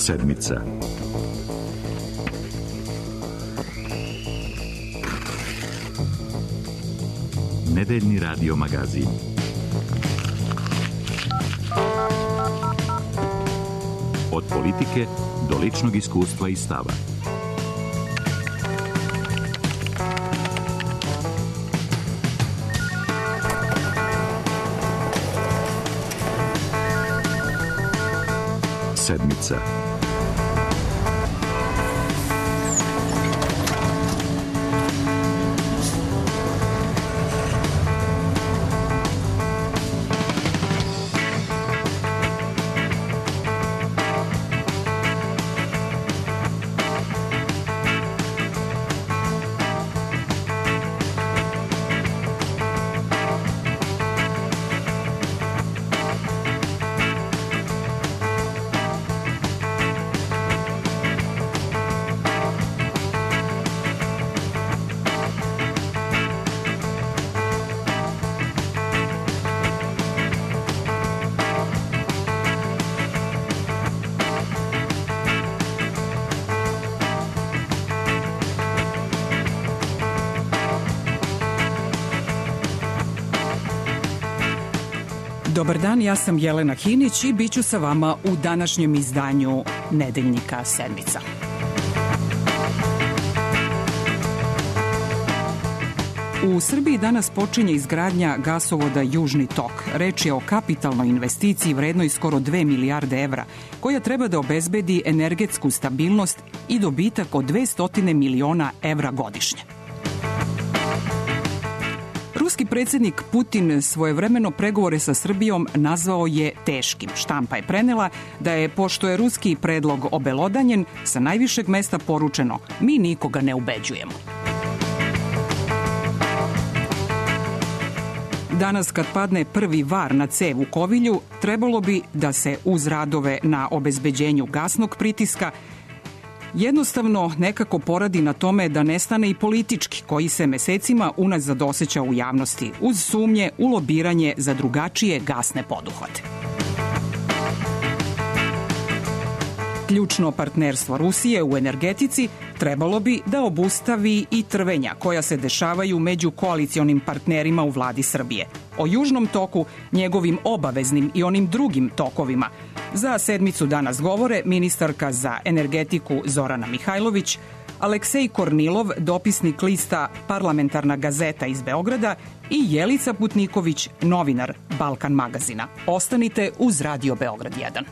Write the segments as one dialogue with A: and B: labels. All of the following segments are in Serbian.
A: Sedmica. Nedeljni radio magazin. Od politike do ličnog iskustva i stava. Sedmica.
B: Dobar dan, ja sam Jelena Hinić i bit ću sa vama u današnjem izdanju Nedeljnika Sedmica. U Srbiji danas počinje izgradnja gasovoda Južni tok. Reč je o kapitalnoj investiciji vrednoj skoro 2 milijarde evra, koja treba da obezbedi energetsku stabilnost i dobitak od 200 miliona evra godišnje. Ruski predsjednik Putin svojevremeno pregovore sa Srbijom nazvao je teškim. Štampa je prenela da je, pošto je ruski predlog obelodanjen, sa najvišeg mesta poručeno: mi nikoga ne ubeđujemo. Danas, kad padne prvi var na cev u Kovilju, trebalo bi da se uz radove na obezbeđenju gasnog pritiska jednostavno nekako poradi na tome da nestane i politički, koji se mesecima unazad osjeća u javnosti, uz sumnje u lobiranje za drugačije gasne poduhvate. Ključno partnerstvo Rusije u energetici trebalo bi da obustavi i trvenja koja se dešavaju među koalicionim partnerima u vladi Srbije. O Južnom toku, njegovim obaveznim i onim drugim tokovima, za Sedmicu danas govore ministarka za energetiku Zorana Mihajlović, Aleksej Kornilov, dopisnik lista Parlamentarna gazeta iz Beograda i Jelica Putniković, novinar Balkan magazina. Ostanite uz Radio Beograd 1.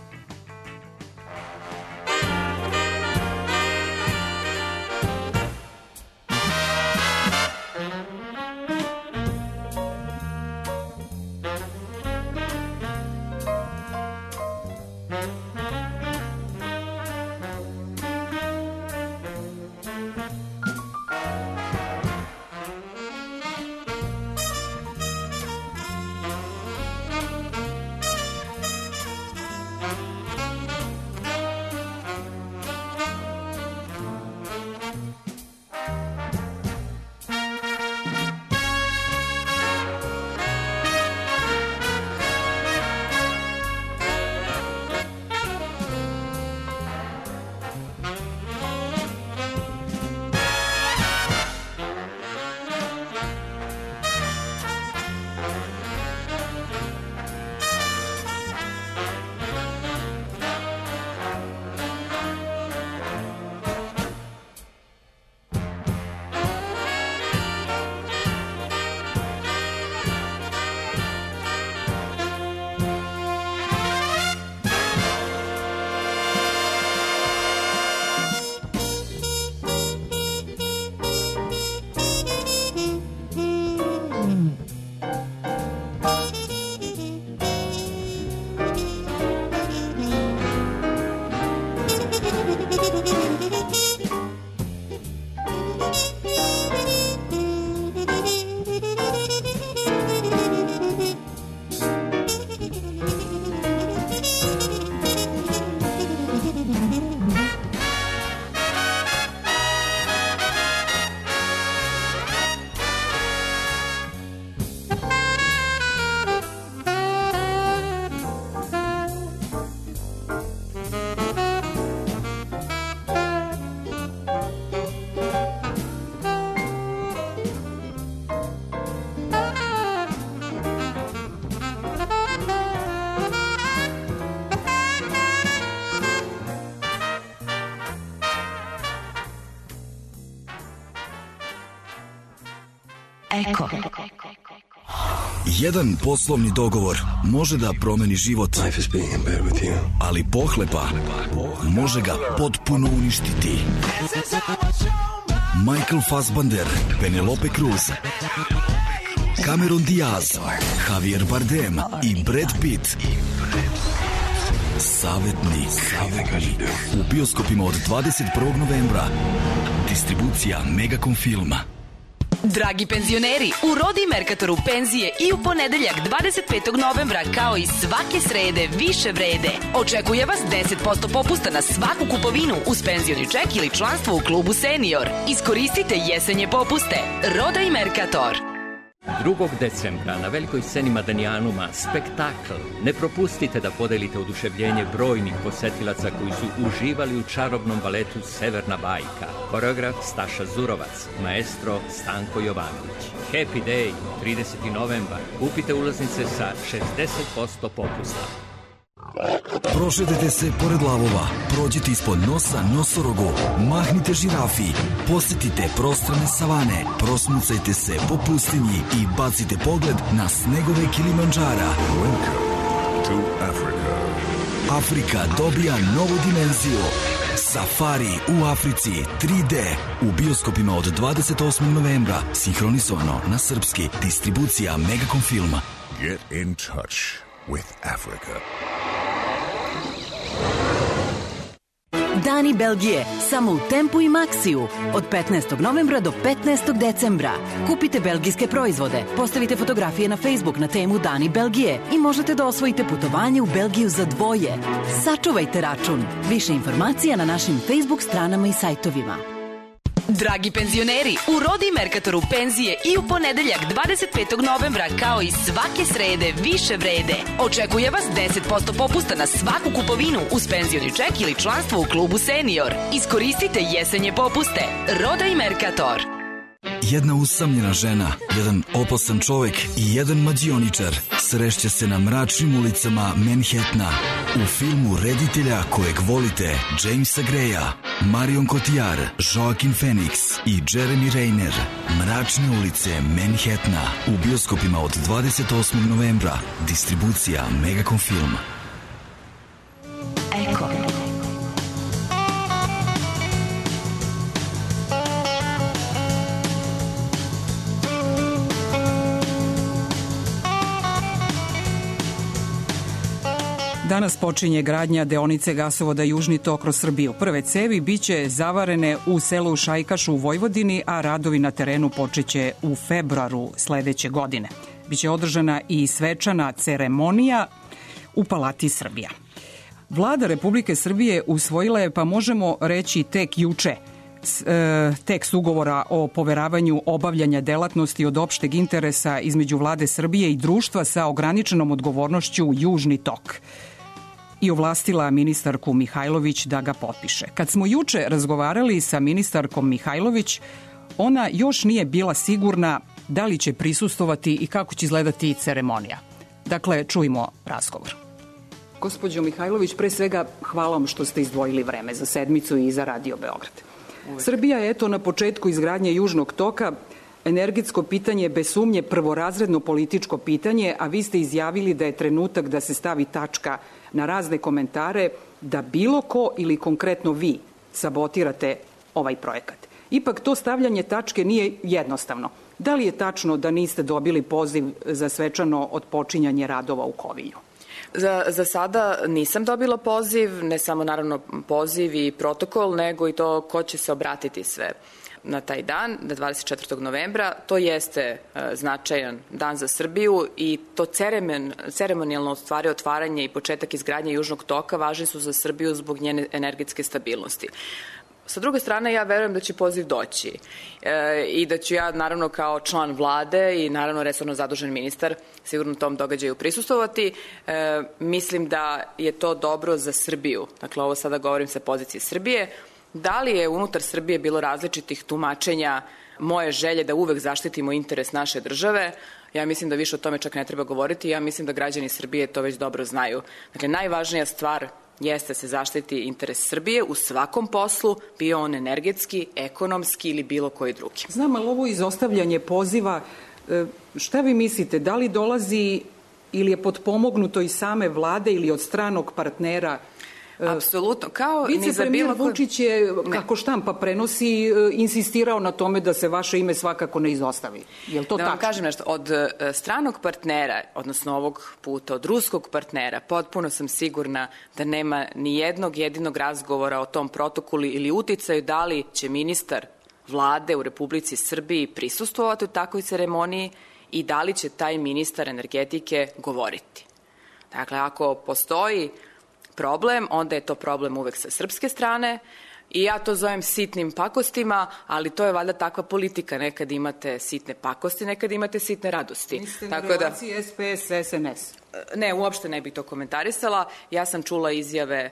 C: Eko.
D: Jedan poslovni dogovor može da promeni život, ali pohlepa može ga potpuno uništiti. Michael Fassbender, Penelope Cruz, Cameron Diaz, Javier Bardem i Brad Pitt. Savetnik. U bioskopima od 21. novembra. Distribucija Megacom Filma.
C: Dragi penzioneri, u Rodi Merkatoru penzije i u ponedeljak 25. novembra kao i svake srede više vrede. Očekuje vas 10% popusta na svaku kupovinu uz penzioni ček ili članstvo u klubu Senior. Iskoristite jesenje popuste. Roda i Merkator.
E: 2. decembra na velikoj sceni Madanijanuma spektakl. Ne propustite da podelite oduševljenje brojnih posetilaca koji su uživali u čarobnom baletu Severna bajka. Koreograf Staša Zurovac, maestro Stanko Jovanović. Happy Day, 30. novembar. Kupite ulaznice sa 60% popusta.
D: Prošetajte se pored lavova, prođite ispod nosa nosorogu, mahnite žirafi, posetite prostrane savane, prosmucajte se po pustinji i bacite pogled na snegove Kilimandžara. Afrika dobija novu dimenziju. Safari u Africi 3D u bioskopima od 28. novembra, sinhronizovano na srpski, distribucija Megacom Filma.
F: Get in touch with Africa.
G: Dani Belgije, samo u Tempu i Maxiju, od 15. novembra do 15. decembra. Kupite belgijske proizvode, postavite fotografije na Facebook na temu Dani Belgije i možete da osvojite putovanje u Belgiju za dvoje. Sačuvajte račun. Više informacija na našim Facebook stranama i sajtovima.
C: Dragi penzioneri, u Rodi Merkatoru penzije i u ponedeljak 25. novembra kao i svake srede više vrede. Očekuje vas 10% popusta na svaku kupovinu uz penzioni ček ili članstvo u klubu Senior. Iskoristite jesenje popuste. Roda i Merkator.
D: Jedna usamljena žena, jedan opasan čovek i jedan mađioničar srešće se na mračnim ulicama Manhattana. U filmu reditelja kojeg volite, Jamesa Greya, Marion Cotillard, Joaquin Phoenix i Jeremy Renner. Mračne ulice Manhattana u bioskopima od 28. novembra. Distribucija Megacom Filma.
C: Eko.
B: Danas počinje gradnja deonice gasovoda Južni tok kroz Srbiju. Prve cevi biće zavarene u selu Šajkaš u Vojvodini, a radovi na terenu počeće u februaru sledeće godine. Biće održana i svečana ceremonija u Palati Srbija. Vlada Republike Srbije usvojila je, pa možemo reći tek juče, tekst ugovora o poveravanju obavljanja delatnosti od opšteg interesa između Vlade Srbije i društva sa ograničenom odgovornošću Južni tok i ovlastila ministarku Mihajlović da ga potpiše. Kad smo juče razgovarali sa ministarkom Mihajlović, ona još nije bila sigurna da li će prisustvovati i kako će izgledati ceremonija. Dakle, čujmo razgovor. Gospođo Mihajlović, pre svega hvala vam što ste izdvojili vreme za sedmicu i za Radio Beograd. Srbija je eto na početku izgradnje Južnog toka. Energetsko pitanje bez sumnje prvorazredno političko pitanje, a vi ste izjavili da je trenutak da se stavi tačka na razne komentare da bilo ko ili konkretno vi sabotirate ovaj projekat. Ipak to stavljanje tačke nije jednostavno. Da li je tačno da niste dobili poziv za svečano otpočinjanje radova u Kovilju?
H: Za sada nisam dobila poziv, ne samo naravno poziv i protokol, nego i to ko će se obratiti sve na taj dan, na 24. novembra. To jeste značajan dan za Srbiju i to ceremonijalno stvari otvaranje i početak izgradnje Južnog toka važni su za Srbiju zbog njene energetske stabilnosti. Sa druge strane, ja verujem da će poziv doći i da ću ja, naravno, kao član vlade i, naravno, resorno zadužen ministar sigurno tom događaju prisustvovati. Mislim da je to dobro za Srbiju. Dakle, ovo sada govorim sa pozicije Srbije. Da li je unutar Srbije bilo različitih tumačenja moje želje da uvek zaštitimo interes naše države? Ja mislim da više o tome čak ne treba govoriti. Ja mislim da građani Srbije to već dobro znaju. Dakle, najvažnija stvar jeste se zaštiti interes Srbije u svakom poslu, bio on energetski, ekonomski ili bilo koji drugi.
B: Znam, ali ovo izostavljanje poziva Šta vi mislite, da li dolazi ili je potpomognuto iz same vlade ili od stranog partnera?
H: Apsolutno, kao ni za
B: vicepremijer
H: bilo
B: Vučić je, kako štampa prenosi, insistirao na tome da se vaše ime svakako ne izostavi. Je li to tačno?
H: Da vam kažem nešto, od stranog partnera, odnosno ovog puta od ruskog partnera, potpuno sam sigurna da nema ni jednog jedinog razgovora o tom protokolu ili uticaju da li će ministar vlade u Republici Srbiji prisustvovati u takvoj ceremoniji i da li će taj ministar energetike govoriti. Dakle, ako postoji problem, onda je to problem uvek sa srpske strane i ja to zovem sitnim pakostima, ali to je valjda takva politika. Nekad imate sitne pakosti, nekad imate sitne radosti.
B: Mislite na relaciji SPS-SNS?
H: Ne, uopšte ne bih to komentarisala. Ja sam čula izjave,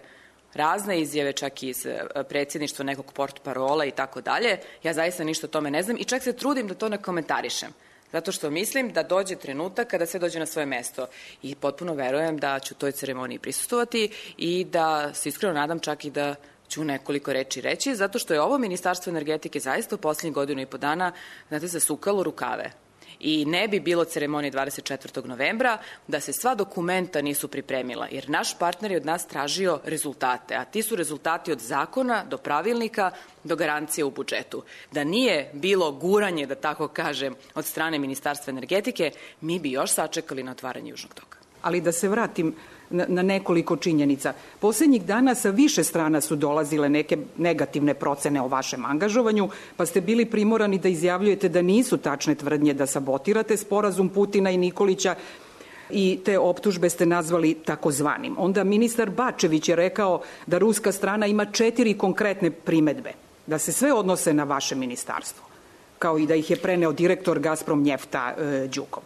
H: razne izjave, čak i iz predsjedništva nekog portparola i tako dalje. Ja zaista ništa o tome ne znam i čak se trudim da to ne komentarišem. Zato što mislim da dođe trenutak kada sve dođe na svoje mesto i potpuno verujem da ću toj ceremoniji prisustvovati i da se iskreno nadam čak i da ću nekoliko reči reći, zato što je ovo Ministarstvo energetike zaista u posljednjih godinu i po dana, znate, zasukalo rukave. I ne bi bilo ceremonije 24. novembra da se sva dokumenta nisu pripremila, jer naš partner je od nas tražio rezultate, a ti su rezultati od zakona do pravilnika do garancije u budžetu. Da nije bilo guranje, da tako kažem, od strane Ministarstva energetike, mi bi još sačekali na otvaranje Južnog toka.
B: Ali da se vratim na nekoliko činjenica. Poslednjih dana sa više strana su dolazile neke negativne procene o vašem angažovanju, pa ste bili primorani da izjavljujete da nisu tačne tvrdnje da sabotirate sporazum Putina i Nikolića i te optužbe ste nazvali takozvanim. Onda ministar Bačević je rekao da ruska strana ima 4 konkretne primedbe, da se sve odnose na vaše ministarstvo, kao i da ih je preneo direktor Gazprom Njefta Đukov.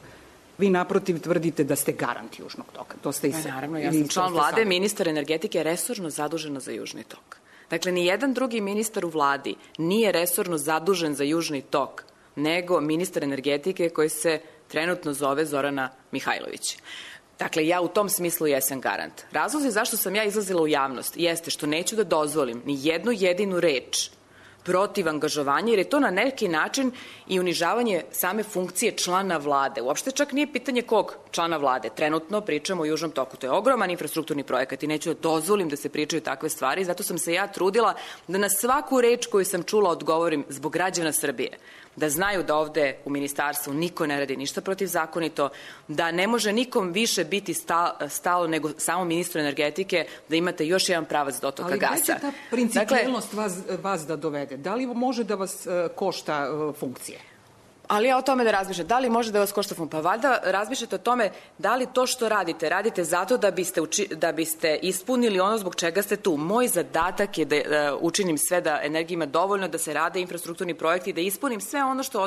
B: Vi naprotiv tvrdite da ste garant Južnog toka. To ste i sve.
H: Naravno, ja sam član vlade, ministar energetike je resorno zadužena za Južni tok. Dakle, ni jedan drugi ministar u vladi nije resorno zadužen za Južni tok, nego ministar energetike koji se trenutno zove Zorana Mihajlović. Dakle, ja u tom smislu jesam garant. Razlozi zašto sam ja izlazila u javnost jeste što neću da dozvolim ni jednu jedinu reč protiv angažovanja, jer je to na neki način i unižavanje same funkcije člana vlade. Uopšte čak nije pitanje kog člana vlade. Trenutno pričamo o Južnom toku. To je ogroman infrastrukturni projekat i neću da dozvolim da se pričaju takve stvari. Zato sam se ja trudila da na svaku reč koju sam čula odgovorim zbog građana Srbije. Da znaju da ovde u ministarstvu niko ne radi ništa protivzakonito, da ne može nikom više biti stalo nego samo ministru energetike, da imate još jedan pravac dotoka gasa.
B: Ali gde će ta principijelnost vas da dovede? Da li može da vas košta funkcije?
H: Ali ja o tome da razmišljam. Da li može da vas košta funkcija? Pa valjda razmišljate o tome da li to što radite zato da biste ispunili ono zbog čega ste tu. Moj zadatak je da učinim sve da energija ima dovoljno, da se rade infrastrukturni projekti, da ispunim sve ono što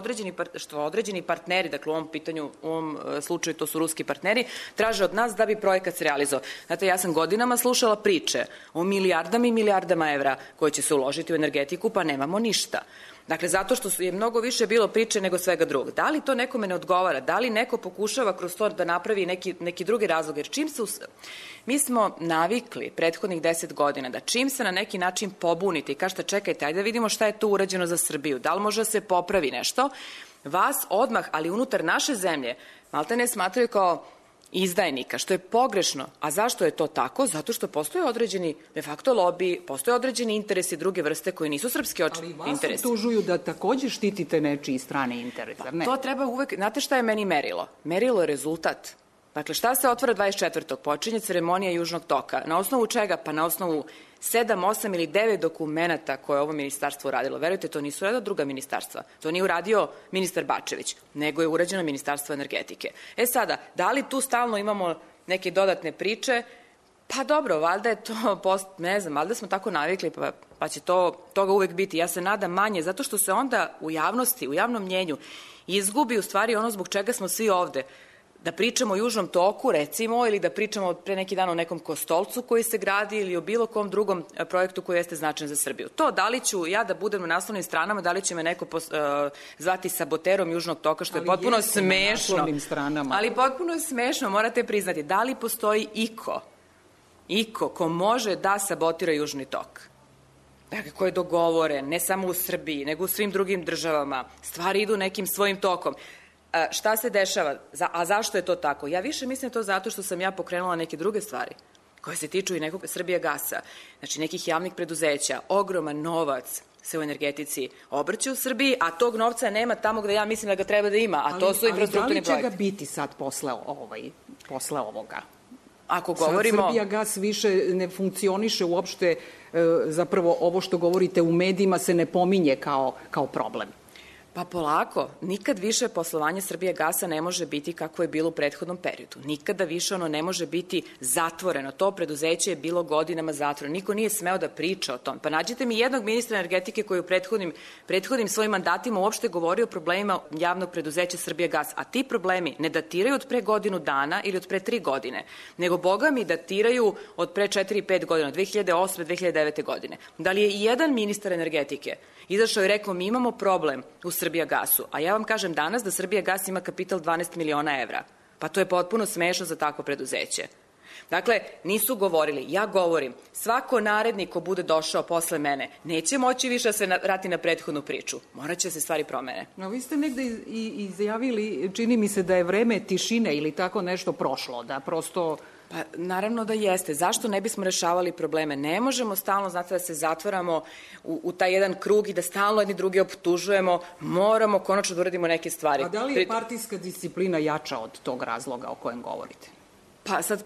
H: određeni partneri, dakle u ovom slučaju to su ruski partneri, traže od nas da bi projekat se realizovao. Znate, ja sam godinama slušala priče o milijardama i milijardama evra koje će se uložiti u energetiku, pa nemamo ništa. Dakle, zato što je mnogo više bilo priče nego svega drugog. Da li to nekome ne odgovara? Da li neko pokušava kroz to da napravi neki drugi razlog? Jer mi smo navikli prethodnih 10 godina da čim se na neki način pobunite i kažete čekajte, ajde da vidimo šta je tu urađeno za Srbiju, da li može da se popravi nešto, vas odmah, ali unutar naše zemlje, malte ne smatraju kao izdajnika, što je pogrešno. A zašto je to tako? Zato što postoje određeni de facto lobby, postoje određeni interesi druge vrste koji nisu srpski interesi.
B: Ali vas optužuju da takođe štitite nečiji strane interese, ne?
H: To treba uvek, znate šta je meni merilo? Merilo je rezultat. Dakle, šta se otvara 24. Počinje ceremonija Južnog toka. Na osnovu čega? Pa na osnovu 7, 8 ili 9 dokumenta koje je ovo ministarstvo uradilo. Verujte, to nisu uradila druga ministarstva. To nije uradio ministar Bačević, nego je urađeno Ministarstvo energetike. Sada, da li tu stalno imamo neke dodatne priče? Pa dobro, valjda je to, ne znam, valjda smo tako navikli, pa će toga uvek biti. Ja se nadam manje, zato što se onda u javnosti, u javnom mnjenju izgubi u stvari ono zbog čega smo svi ovde. Da pričamo o Južnom toku, recimo, ili da pričamo pre neki dan o nekom Kostolcu koji se gradi ili o bilo kom drugom projektu koji jeste značajan za Srbiju. To da li ću ja da budem na naslovnim stranama, da li će me neko zvati saboterom Južnog toka, što je potpuno smešno. Ali potpuno smešno, morate priznati. Da li postoji iko ko može da sabotira Južni tok? Dakle, ko je dogovoren, ne samo u Srbiji, nego u svim drugim državama. Stvari idu nekim svojim tokom. šta se dešava? A zašto je to tako? Ja više mislim to zato što sam ja pokrenula neke druge stvari koje se tiču i nekog Srbijagasa, znači nekih javnih preduzeća, ogroman novac se u energetici obrće u Srbiji, a tog novca nema tamo gde ja mislim da ga treba da ima, a to su infrastrukturni projekti.
B: Ali da li će ga biti sad posle ovoga?
H: Ako govorimo...
B: Sad Srbijagas više ne funkcioniše uopšte, zapravo ovo što govorite u medijima se ne pominje kao problem.
H: Pa polako, nikad više poslovanje Srbijagasa ne može biti kako je bilo u prethodnom periodu. Nikada više ono ne može biti zatvoreno. To preduzeće je bilo godinama zatvoreno. Niko nije smeo da priča o tom. Pa nađite mi jednog ministra energetike koji u prethodnim svojim mandatima uopšte govori o problemima javnog preduzeća Srbijagas. A ti problemi ne datiraju od pre godinu dana ili od pre 3 godine, nego, boga mi, datiraju od pre 4-5 godina, 2008. 2009. godine. Da li je i jedan ministar energetike izašao i rekao mi imamo problem u Srbijagasu, a ja vam kažem danas da Srbijagas ima kapital 12 miliona evra. Pa to je potpuno smešno za takvo preduzeće. Dakle, nisu govorili, ja govorim, svako narednik ko bude došao posle mene neće moći više da se vrati na prethodnu priču. Morat će se stvari promene.
B: No, vi ste negde izjavili, čini mi se da je vreme tišine ili tako nešto prošlo, da prosto...
H: Pa naravno da jeste. Zašto ne bismo rešavali probleme? Ne možemo stalno, znate, da se zatvaramo u taj jedan krug i da stalno jedni drugi optužujemo. Moramo konačno da uradimo neke stvari.
B: A da li je partijska disciplina jača od tog razloga o kojem govorite?
H: Pa sad,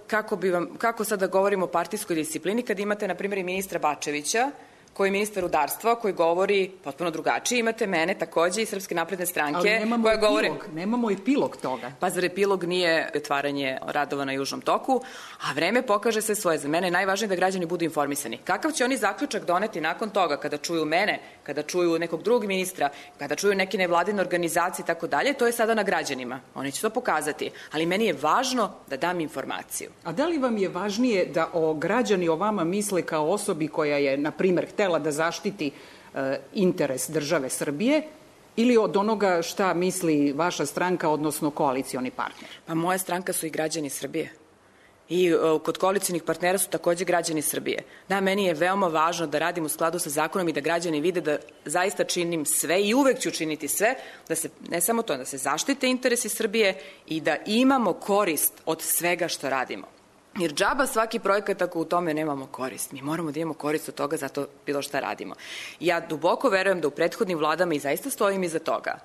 H: kako sad da govorimo o partijskoj disciplini kad imate, na primjer, i ministra Bačevića, koji je ministar rudarstva, koji govori potpuno drugačije. Imate mene takođe iz Srpske napredne stranke.
B: Ali nemamo epilog toga.
H: Pa zar epilog nije otvaranje radova na Južnom toku, a vreme pokaže sve svoje. Za mene je najvažnije da građani budu informisani. Kakav će oni zaključak doneti nakon toga kada čuju mene, kada čuju nekog drugog ministra, kada čuju neke nevladine organizacije i tako dalje, to je sada na građanima. Oni će to pokazati. Ali meni je važno da dam informaciju.
B: A da li vam je važnije da građani o vama misle kao osobi koja je, na primer, htela da zaštiti interes države Srbije ili od onoga šta misli vaša stranka, odnosno koalicioni partner?
H: Pa moja stranka su i građani Srbije. I kod koalicionih partnera su takođe građani Srbije. Da, meni je veoma važno da radim u skladu sa zakonom i da građani vide da zaista činim sve i uvek ću činiti sve, da se, ne samo to, da se zaštite interesi Srbije i da imamo korist od svega što radimo. Jer džaba svaki projekat ako u tome nemamo korist. Mi moramo da imamo korist od toga, zato bilo šta radimo. Ja duboko verujem da u prethodnim vladama, i zaista stojim iza toga,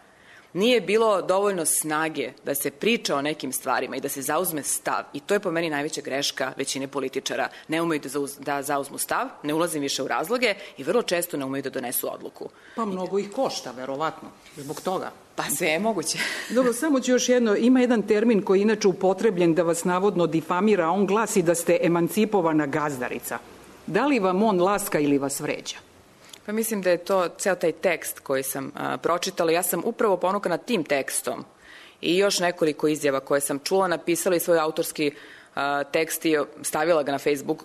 H: nije bilo dovoljno snage da se priča o nekim stvarima i da se zauzme stav. I to je po meni najveća greška većine političara. Ne umeju da zauzmu stav, ne ulazim više u razloge i vrlo često ne umeju da donesu odluku.
B: Pa mnogo ih košta, verovatno, zbog toga.
H: Pa sve je moguće.
B: Dobro, samo ću još jedno. Ima jedan termin koji je inače upotrebljen da vas navodno difamira, a on glasi da ste emancipovana gazdarica. Da li vam on laska ili vas vređa?
H: Pa mislim da je to ceo taj tekst koji sam pročitala. Ja sam upravo ponukana tim tekstom i još nekoliko izjava koje sam čula, napisala i svoj autorski tekst i stavila ga na Facebook,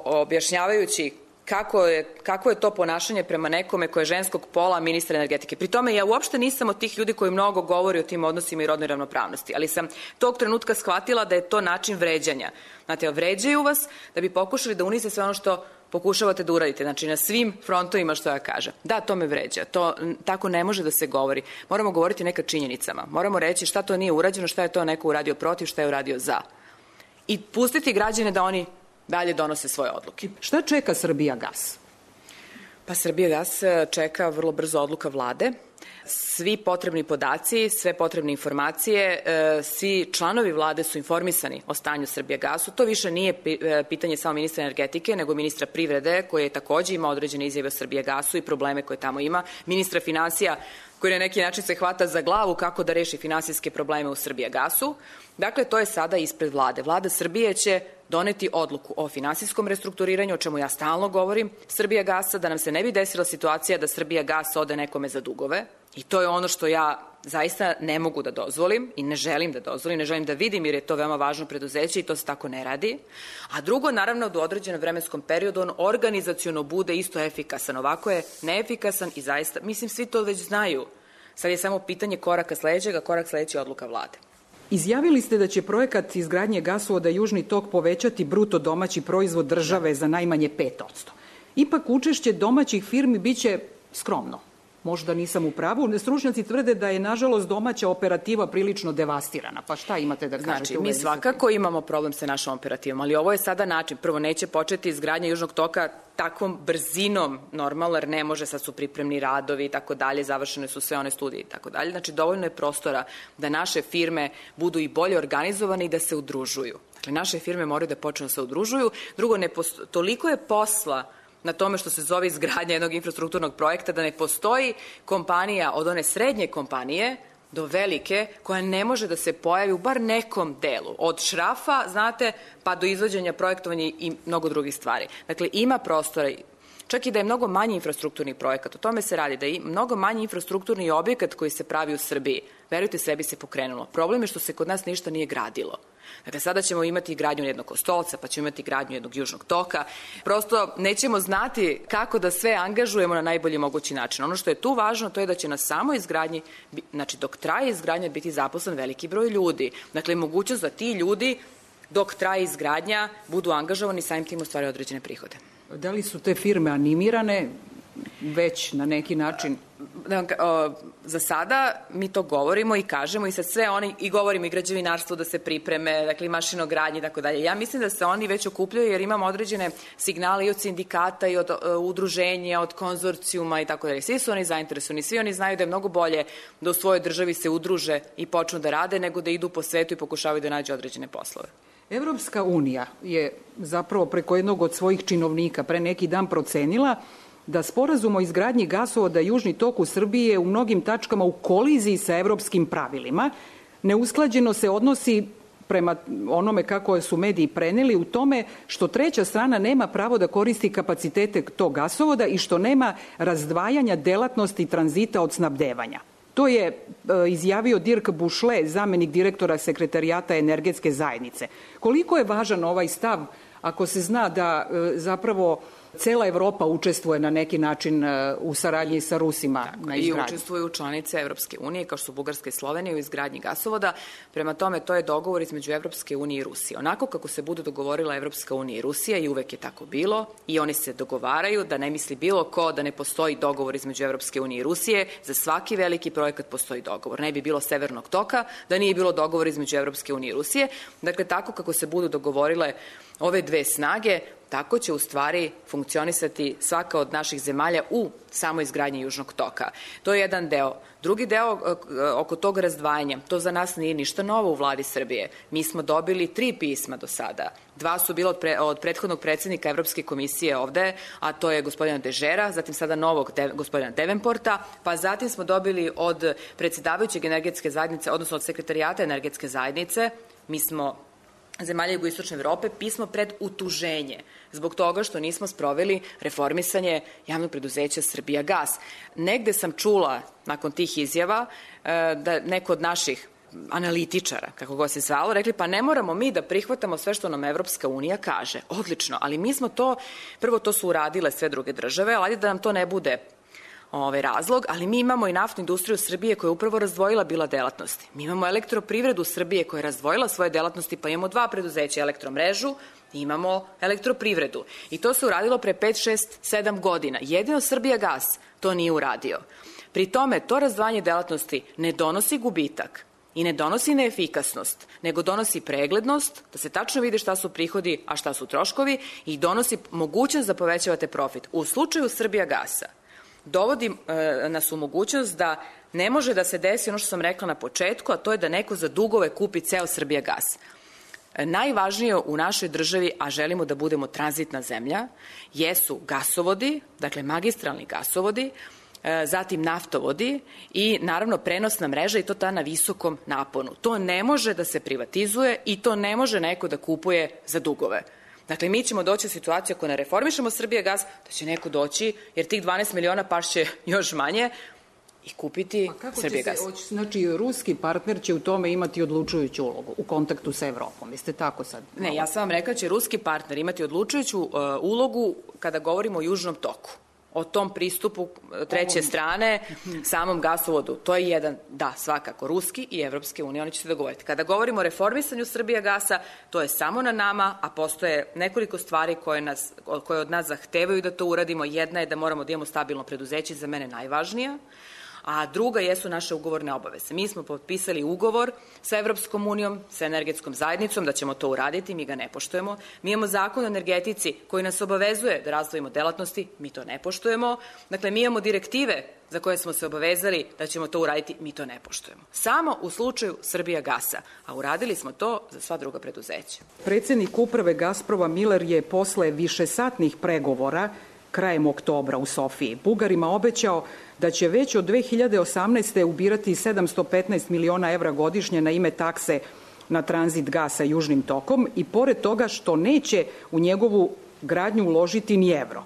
H: objašnjavajući kako je to ponašanje prema nekome koje je ženskog pola, ministra energetike. Pri tome ja uopšte nisam od tih ljudi koji mnogo govori o tim odnosima i rodnoj ravnopravnosti, ali sam tog trenutka shvatila da je to način vređanja. Znate, vređaju vas da bi pokušali da unize sve ono što pokušavate da uradite, znači na svim frontovima što ja kažem. Da, to me vređa, to tako ne može da se govori. Moramo govoriti neka činjenicama, moramo reći šta to nije urađeno, šta je to neko uradio protiv, šta je uradio za. I pustiti građane da oni dalje donose svoje odluke.
B: Šta čeka Srbijagas?
H: Pa Srbijagas čeka vrlo brzo odluka vlade. Svi potrebni podaci, sve potrebne informacije, svi članovi vlade su informisani o stanju Srbijagasu. To više nije pitanje samo ministra energetike, nego ministra privrede, koji je takođe ima određene izjave o Srbijagasu i probleme koje tamo ima. Ministra finansija, koji na neki način se hvata za glavu kako da reši finansijske probleme u Srbijagasu. Dakle, to je sada ispred vlade. Vlada Srbije će doneti odluku o finansijskom restrukturiranju, o čemu ja stalno govorim, Srbijagasa, da nam se ne bi desila situacija da Srbijagas ode nekome za dugove. I to je ono što ja zaista ne mogu da dozvolim i ne želim da dozvolim, ne želim da vidim jer je to veoma važno preduzeće i to se tako ne radi. A drugo, naravno, da u određenom vremenskom periodu on organizaciono bude isto efikasan. Ovako je neefikasan i zaista, mislim, svi to već znaju. Sad je samo pitanje koraka sledećeg, a korak sledeći je odluka vlade.
B: Izjavili ste da će projekat izgradnje gasovoda Južni tok povećati bruto domaći proizvod države za najmanje 5%. Ipak učešće domaćih firmi biće skromno. možda nisam u pravu. Stručnjaci tvrde da je, nažalost, domaća operativa prilično devastirana. Pa šta imate da kažete?
H: Znači, mi svakako imamo problem sa našom operativom, ali ovo je sada način. Prvo, neće početi izgradnja Južnog toka takvom brzinom normalno, jer ne može, sad su pripremni radovi i tako dalje, završene su sve one studije i tako dalje. Znači, dovoljno je prostora da naše firme budu i bolje organizovane i da se udružuju. Dakle, naše firme moraju da počnu da se udružuju. Drugo, toliko je posla na tome što se zove izgradnja jednog infrastrukturnog projekta da ne postoji kompanija od one srednje kompanije do velike koja ne može da se pojavi u bar nekom delu. Od šrafa, znate, pa do izvođenja, projektovanja i mnogo drugih stvari. Dakle, ima prostora, čak i da je mnogo manji infrastrukturni projekat, o tome se radi, da je mnogo manji infrastrukturni objekat koji se pravi u Srbiji. Verujte, sve bi se pokrenulo. Problem je što se kod nas ništa nije gradilo. Dakle, sada ćemo imati gradnju jednog Kostolca, pa ćemo imati gradnju jednog Južnog toka. Prosto nećemo znati kako da sve angažujemo na najbolji mogući način. Ono što je tu važno, to je da će na samoj izgradnji, znači dok traje izgradnja, biti zaposlen veliki broj ljudi. Dakle, mogućnost da ti ljudi, dok traje izgradnja, budu angažovani, samim tim ostvaraju određene prihode.
B: Da li su te firme animirane već na neki način?
H: Za sada mi to govorimo i kažemo i sad sve oni, i govorimo i građevinarstvo da se pripreme, dakle i mašinogradnji i tako dalje. Ja mislim da se oni već okupljaju jer imamo određene signale i od sindikata i od udruženja, od konzorcijuma i tako dalje. Svi su oni zainteresovani, svi oni znaju da je mnogo bolje da u svojoj državi se udruže i počnu da rade nego da idu po svetu i pokušavaju da nađu određene poslove.
B: Evropska unija je zapravo preko jednog od svojih činovnika pre neki dan procenila da sporazum o izgradnji gasovoda Južni tok u Srbiji je u mnogim tačkama u koliziji sa evropskim pravilima. Neusklađeno se odnosi prema onome kako su mediji preneli u tome što treća strana nema pravo da koristi kapacitete tog gasovoda i što nema razdvajanja delatnosti tranzita od snabdevanja. To je izjavio Dirk Bušle, zamenik direktora Sekretarijata energetske zajednice. Koliko je važan ovaj stav ako se zna da zapravo cela Evropa učestvuje na neki način u saradnji sa Rusima na izgradnji?
H: I učestvuju članice Evropske unije, kao što su Bugarska i Slovenija, u izgradnji gasovoda. Prema tome, to je dogovor između Evropske unije i Rusije. Onako kako se budu dogovorila Evropska unija i Rusija, i uvek je tako bilo, i oni se dogovaraju, da ne misli bilo ko da ne postoji dogovor između Evropske unije i Rusije. Za svaki veliki projekat postoji dogovor. Ne bi bilo Severnog toka da nije bilo dogovor između Evropske unije i Rusije. Dakle, tako kako se budu dogovorile ove dve snage, tako će u stvari funkcionisati svaka od naših zemalja u samoj izgradnji Južnog toka. To je jedan deo. Drugi deo oko tog razdvajanja, to za nas nije ništa novo u vladi Srbije. Mi smo dobili 3 pisma do sada. 2 su bila od prethodnog predsjednika Evropske komisije ovde, a to je gospodina Dežera, zatim sada novog gospodina Devenporta, pa zatim smo dobili od predsjedavajućeg energetske zajednice, odnosno od sekretarijata energetske zajednice. Mi smo zemalja jugoistočne Evrope pismo pred utuženje zbog toga što nismo sproveli reformisanje javnog preduzeća Srbijagas. Negde sam čula nakon tih izjava da neko od naših analitičara, kako god se zvalo, rekli pa ne moramo mi da prihvatamo sve što nam Evropska unija kaže. Odlično, ali mi smo to, prvo to su uradile sve druge države, ali ajde da nam to ne bude razlog, ali mi imamo i naftnu industriju Srbije koja je upravo razdvojila bila delatnosti. Mi imamo elektroprivredu Srbije koja je razdvojila svoje delatnosti, pa imamo 2 preduzeća, elektromrežu i imamo elektroprivredu. I to se uradilo pre 5, 6, 7 godina. Jedino Srbijagas to nije uradio. Pri tome, to razdvajanje delatnosti ne donosi gubitak i ne donosi neefikasnost, nego donosi preglednost, da se tačno vidi šta su prihodi, a šta su troškovi, i donosi mogućnost da povećavate profit. U slučaju Srbijagasa dovodi nas u mogućnost da ne može da se desi ono što sam rekla na početku, a to je da neko za dugove kupi ceo Srbijagas. Najvažnije u našoj državi, a želimo da budemo tranzitna zemlja, jesu gasovodi, dakle magistralni gasovodi, zatim naftovodi i naravno prenosna mreža, i to ta na visokom naponu. To ne može da se privatizuje i to ne može neko da kupuje za dugove. Dakle, mi ćemo doći u situaciju ako ne reformišemo Srbijagas, da će neko doći, jer tih 12 miliona pašće još manje, i kupiti Srbijagas.
B: Znači, ruski partner će u tome imati odlučujuću ulogu u kontaktu sa Evropom. Jeste tako sad?
H: Ne, ja sam vam rekla da će ruski partner imati odlučujuću ulogu kada govorimo o Južnom toku. o tom pristupu treće strane samom gasovodu. To je jedan, da, svakako, ruski i Evropske unije, oni će se dogovoriti. Kada govorimo o reformisanju Srbijagasa, to je samo na nama, a postoje nekoliko stvari koje od nas zahtevaju da to uradimo. Jedna je da moramo da imamo stabilno preduzeće, za mene najvažnija, a druga jesu naše ugovorne obaveze. Mi smo potpisali ugovor sa Evropskom unijom, sa energetskom zajednicom, da ćemo to uraditi, mi ga ne poštujemo. Mi imamo zakon o energetici koji nas obavezuje da razdvojimo delatnosti, mi to ne poštujemo. Dakle, mi imamo direktive za koje smo se obavezali da ćemo to uraditi, mi to ne poštujemo. Samo u slučaju Srbijagasa, a uradili smo to za sva druga preduzeća.
B: Predsednik uprave Gazproma Miller je posle višesatnih pregovora krajem oktobra u Sofiji Bugarima obećao da će već od 2018. ubirati 715 miliona evra godišnje na ime takse na tranzit gasa Južnim tokom i pored toga što neće u njegovu gradnju uložiti ni evro.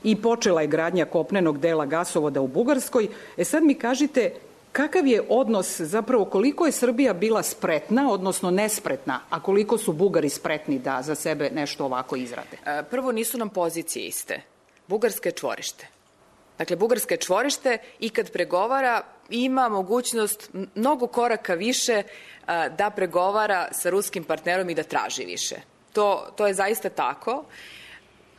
B: I počela je gradnja kopnenog dela gasovoda u Bugarskoj. Sad mi kažite kakav je odnos, zapravo koliko je Srbija bila spretna, odnosno nespretna, a koliko su Bugari spretni da za sebe nešto ovako izrade?
H: Prvo, nisu nam pozicije iste. Bugarska je čvorište. Dakle, Bugarska je čvorište i kad pregovara ima mogućnost mnogo koraka više da pregovara sa ruskim partnerom i da traži više. To je zaista tako.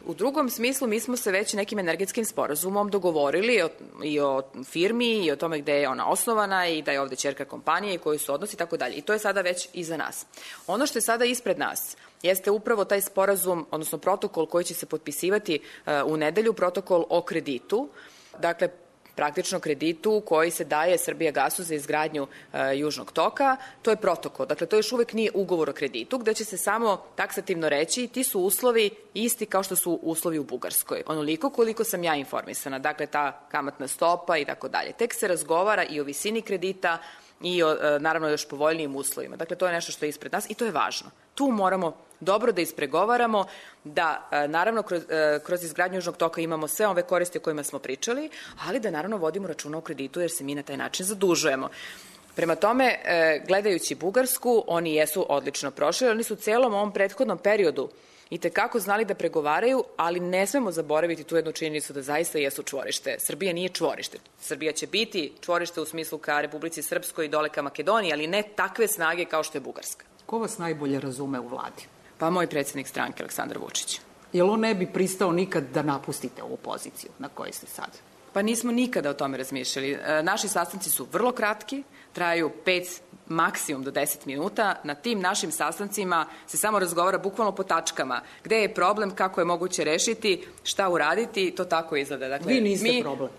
H: U drugom smislu, mi smo se već nekim energetskim sporazumom dogovorili i o firmi i o tome gde je ona osnovana i da je ovde ćerka kompanija i koji su odnosi i tako dalje. I to je sada već iza nas. Ono što je sada ispred nas jeste upravo taj sporazum, odnosno protokol koji će se potpisivati u nedelju, protokol o kreditu. Dakle, praktično kreditu koji se daje Srbijagasu za izgradnju Južnog toka. To je protokol. Dakle, to još uvek nije ugovor o kreditu, gde će se samo taksativno reći ti su uslovi isti kao što su uslovi u Bugarskoj. Onoliko koliko sam ja informisana. Dakle, ta kamatna stopa i tako dalje. Tek se razgovara i o visini kredita i o, naravno, još povoljnijim uslovima. Dakle, to je nešto što je ispred nas i to je važno. Tu moramo dobro da ispregovaramo, da naravno kroz izgradnju Južnog toka imamo sve ove koristi o kojima smo pričali, ali da naravno vodimo računa o kreditu jer se mi na taj način zadužujemo. Prema tome, gledajući Bugarsku, oni jesu odlično prošli, oni su u celom ovom prethodnom periodu i tekako znali da pregovaraju, ali ne smemo zaboraviti tu jednu činjenicu da zaista jesu čvorište. Srbija nije čvorište. Srbija će biti čvorište u smislu ka Republici Srpskoj i dole ka Makedoniji, ali ne takve snage kao što je Bugarska.
B: Ko vas najbolje razume u vladi?
H: Pa moj predsjednik stranke, Aleksandar Vučić.
B: Jel on ne bi pristao nikad da napustite ovu poziciju na kojoj ste sad?
H: Pa nismo nikada o tome razmišljali. Naši sastanci su vrlo kratki, traju 5, maksimum do 10 minuta. Na tim našim sastancima se samo razgovara bukvalno po tačkama. Gde je problem, kako je moguće rešiti, šta uraditi, to tako izgleda. Dakle,
B: vi niste problem.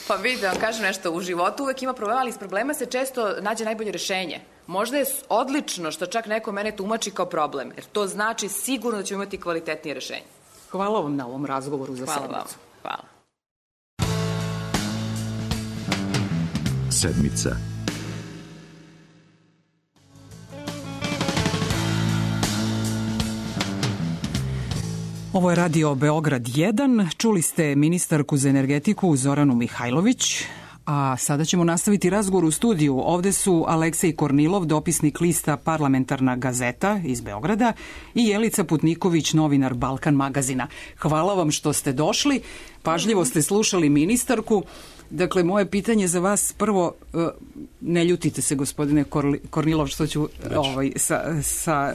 H: Pa vidite, vam kažem nešto, u životu uvek ima problema, ali iz problema se često nađe najbolje rešenje. Možda je odlično što čak neko mene tumači kao problem, jer to znači sigurno da ćemo imati kvalitetnije rešenje.
B: Hvala vam na ovom razgovoru za sedmicu.
H: Hvala vam. Hvala.
A: Sedmica.
B: Ovo je radio Beograd 1. Čuli ste ministarku za energetiku Zoranu Mihajlović, a sada ćemo nastaviti razgovor u studiju. Ovde su Aleksej Kornilov, dopisnik lista Parlamentarna gazeta iz Beograda i Jelica Putniković, novinar Balkan magazina. Hvala vam što ste došli. Pažljivo ste slušali ministarku. Dakle, moje pitanje za vas prvo, ne ljutite se gospodine Kornilov što ću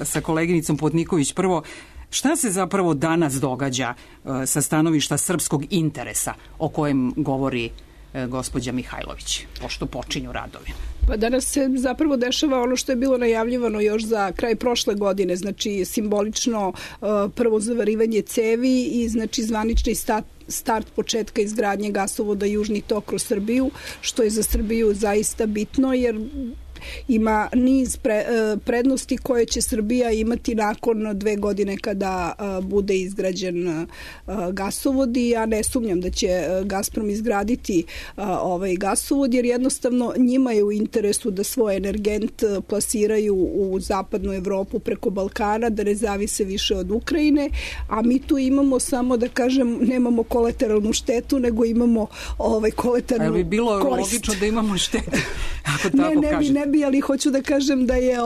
B: sa koleginicom Putniković prvo, šta se zapravo danas događa sa stanovišta srpskog interesa o kojem govori gospođa Mihajlović, pošto počinju radovi?
I: Pa danas se zapravo dešava ono što je bilo najavljivano još za kraj prošle godine, znači simbolično prvo zavarivanje cevi i znači zvanični start početka izgradnje gasovoda Južni tok kroz Srbiju, što je za Srbiju zaista bitno jer ima niz prednosti koje će Srbija imati nakon 2 godine kada bude izgrađen gasovod i ja ne sumnjam da će Gazprom izgraditi ovaj gasovod jer jednostavno njima je u interesu da svoj energent plasiraju u zapadnu Evropu preko Balkana, da ne zavise više od Ukrajine, a mi tu imamo samo da kažem nemamo kolateralnu štetu, nego imamo kolateralnu korist.
B: Ali bi bilo logično da imamo štetu, ako tako kažete.
I: Ne bi bi, ali hoću da kažem da je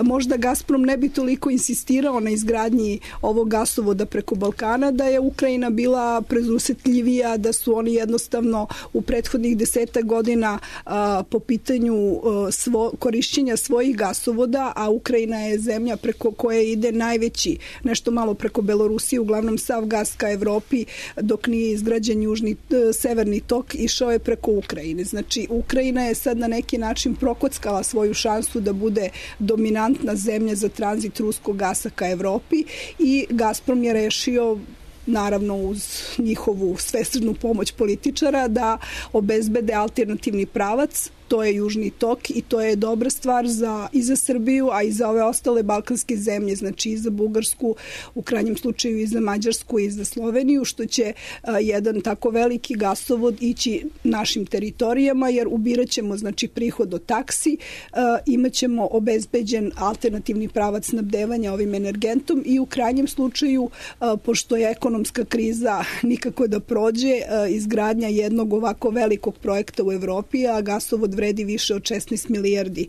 I: možda Gazprom ne bi toliko insistirao na izgradnji ovog gasovoda preko Balkana, da je Ukrajina bila prezusetljivija, da su oni jednostavno u prethodnih 10 godina po pitanju korišćenja svojih gasovoda, a Ukrajina je zemlja preko koje ide najveći, nešto malo preko Belorusije, uglavnom sav gas ka Evropi, dok nije izgrađen severni tok, išao je preko Ukrajine. Znači, Ukrajina je sad na neki način prokockala svoju šansu da bude dominantna zemlja za tranzit ruskog gasa ka Evropi i Gazprom je rešio, naravno uz njihovu svesrdnu pomoć političara, da obezbede alternativni pravac. To je Južni tok i to je dobra stvar i za Srbiju, a i za ove ostale balkanske zemlje, znači i za Bugarsku, u krajnjem slučaju i za Mađarsku i za Sloveniju, što će jedan tako veliki gasovod ići našim teritorijama, jer ubirat ćemo znači prihod od taksi, imaćemo obezbeđen alternativni pravac snabdevanja ovim energentom i u krajnjem slučaju, pošto je ekonomska kriza nikako da prođe, izgradnja jednog ovako velikog projekta u Evropi, a gasovod vredi više od 16 milijardi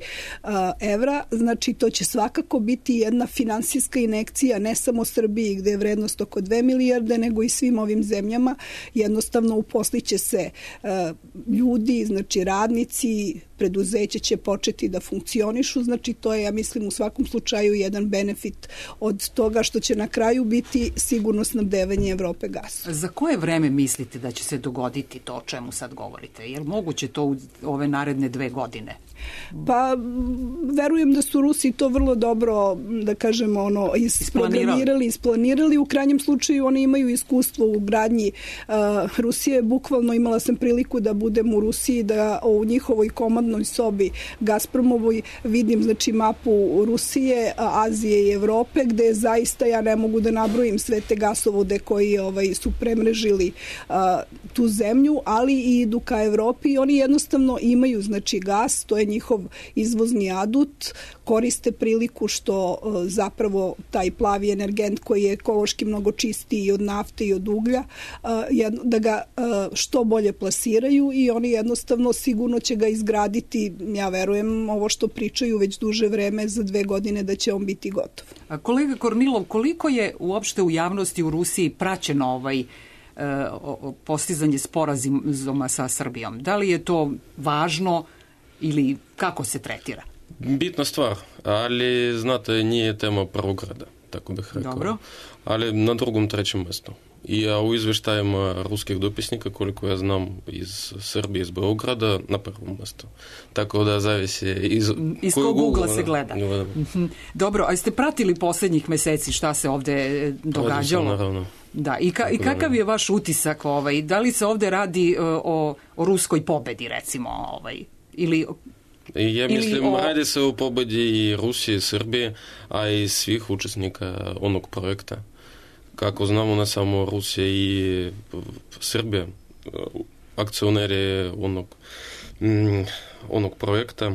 I: evra. Znači, to će svakako biti jedna finansijska injekcija ne samo Srbiji gde je vrednost oko 2 milijarde, nego i svim ovim zemljama. Jednostavno uposliće se ljudi, znači radnici, preduzeće će početi da funkcionišu, znači to je, ja mislim, u svakom slučaju jedan benefit od toga što će na kraju biti sigurno snabdevanje Evrope gasom.
B: Za koje vreme mislite da će se dogoditi to o čemu sad govorite? Je li moguće to u ove naredne 2 godine?
I: Pa, verujem da su Rusi to vrlo dobro, da kažemo, isplanirali. U krajnjem slučaju oni imaju iskustvo u gradnji Rusije. Bukvalno imala sam priliku da budem u Rusiji, da u njihovoj komandnoj sobi Gazpromovoj vidim znači mapu Rusije, Azije i Evrope, gde zaista ja ne mogu da nabrojim sve te gasovode koji su premrežili tu zemlju, ali i idu ka Evropi i oni jednostavno imaju znači gas, to je njihov izvozni adut, koriste priliku što zapravo taj plavi energent koji je ekološki mnogo čistiji od nafte i od uglja, da ga što bolje plasiraju i oni jednostavno sigurno će ga izgraditi, ja verujem, ovo što pričaju već duže vreme, za 2 godine da će on biti gotov.
B: A kolega Kornilov, koliko je uopšte u javnosti u Rusiji praćeno postizanje sporazuma sa Srbijom? Da li je to važno ili kako se tretira?
J: Bitna stvar, ali znate, nije tema prvog reda, tako bih rekao.
B: Dobro.
J: Ali na drugom, trećem mjestu. I u izveštajima ruskih dopisnika, koliko ja znam, iz Srbije, iz Beograda, na prvom mjestu. Tako da zavisi
B: iz kog ugla se gleda. Dobro, a ste pratili posljednjih meseci šta se ovde događalo?
J: Naravno.
B: Da, i kakav je vaš utisak? Da li se ovde radi o ruskoj pobedi, recimo? Ili
J: ja mislim, radi se o pobedi i Rusije, i Srbije, a i svih učesnika onog projekta. Kako znamo, ne samo Rusija i Srbija, akcioneri onog projekta,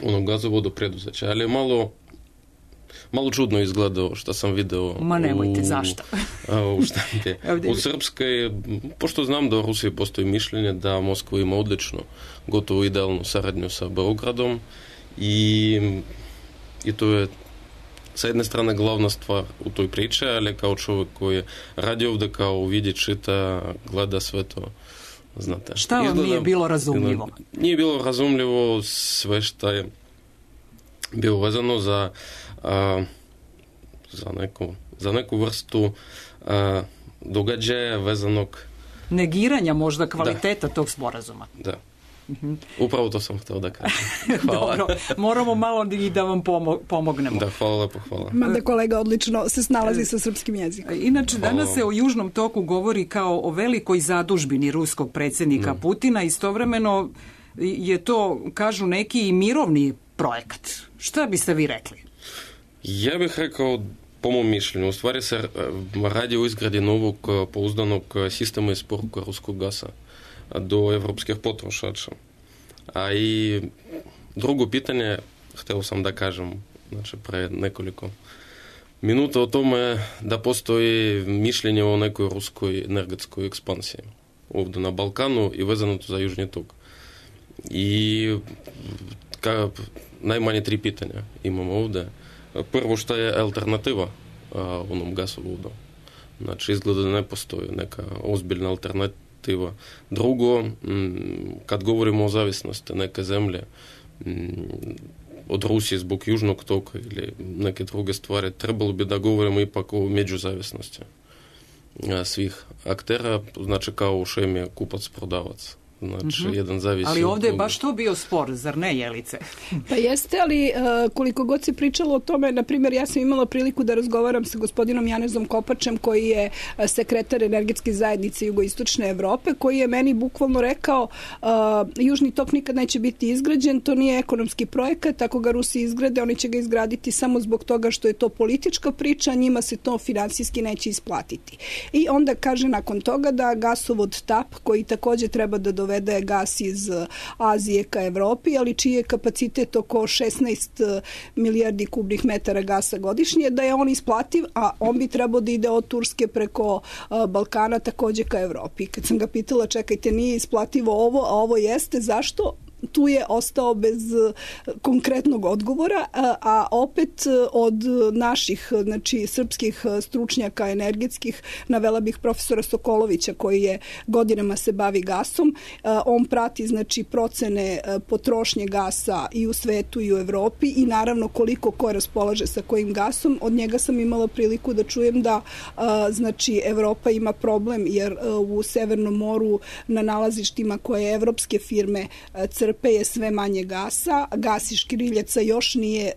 J: onog gazovoda preduzeća, ali malo čudno izgledao što sam video
B: nemojte, zašto?
J: U štampi. U Srpskoj, pošto znam da u Rusiji postoji mišljenje da Moskva ima odlično, gotovo idealnu saradnju sa Beogradom i to je sa jedne strane glavna stvar u toj priči, ali kao čovjek koji radi ovdje, kao vidi, čita, gleda sve to, znate.
B: Šta vam nije bilo razumljivo?
J: Nije bilo razumljivo sve što je bilo vezano za neku vrstu događaja vezanog...
B: Negiranja možda kvaliteta tog sporazuma.
J: Da. Upravo to sam htio da kažem. Hvala.
B: Dobro, moramo malo i da vam pomognemo.
J: Da, hvala lepo, hvala.
I: Mada kolega odlično se snalazi sa srpskim jezikom.
B: Inače, danas se o Južnom toku govori kao o velikoj zadužbini ruskog predsjednika Putina. Istovremeno je to, kažu neki, i mirovni projekat. Šta biste vi rekli?
J: Ja bih rekao, po mom mišljenju, u stvari se radi o izgradi novog pouzdanog sistema isporuka ruskog gasa do evropskih potrošača. A i drugo pitanje, htio sam da kažem, znači pre nekoliko minuta o tome da postoji mišljenje o nekoj ruskoj energetskoj ekspansiji ovdje na Balkanu i vezano to za Južni tok. I najmanje 3 pitanja imamo ovde. Prvo, šta je alternativa onom gasovodu? Znači, izgleda da ne postoji neka ozbiljna alternativa. Drugo, kad govorimo o zavisnosti neke zemlje od Rusije zbog južnog toka ili neke druge stvari, trebalo bi da govorimo ipak o međuzavisnosti svih aktera, znači kao u šemi kupac-prodavac. Znači, jedan zavisi.
B: Ali ovde je baš to bio spor, zar ne, Jelice?
I: Pa jeste, ali koliko god se pričalo o tome, na primjer, ja sam imala priliku da razgovaram sa gospodinom Janezom Kopačem, koji je sekretar energetske zajednice Jugoistočne Evrope, koji je meni bukvalno rekao Južni tok nikad neće biti izgrađen, to nije ekonomski projekat, ako ga Rusi izgrade, oni će ga izgraditi samo zbog toga što je to politička priča, njima se to finansijski neće isplatiti. I onda kaže nakon toga da gasovod TAP, koji takođe treba da dovede gas iz Azije ka Evropi, ali čiji je kapacitet oko 16 milijardi kubnih metara gasa godišnje, da je on isplativ, a on bi trebao da ide od Turske preko Balkana takođe ka Evropi. Kad sam ga pitala, čekajte, nije isplativo ovo, a ovo jeste, zašto? Tu je ostao bez konkretnog odgovora, a opet od naših, znači srpskih stručnjaka energetskih, navela bih profesora Sokolovića koji je godinama se bavi gasom. On prati znači procene potrošnje gasa i u svetu i u Evropi i naravno koliko ko raspolaže sa kojim gasom. Od njega sam imala priliku da čujem da znači Evropa ima problem jer u Severnom moru na nalazištima koje evropske firme crpe je sve manje gasa. Gas iz škriljaca još nije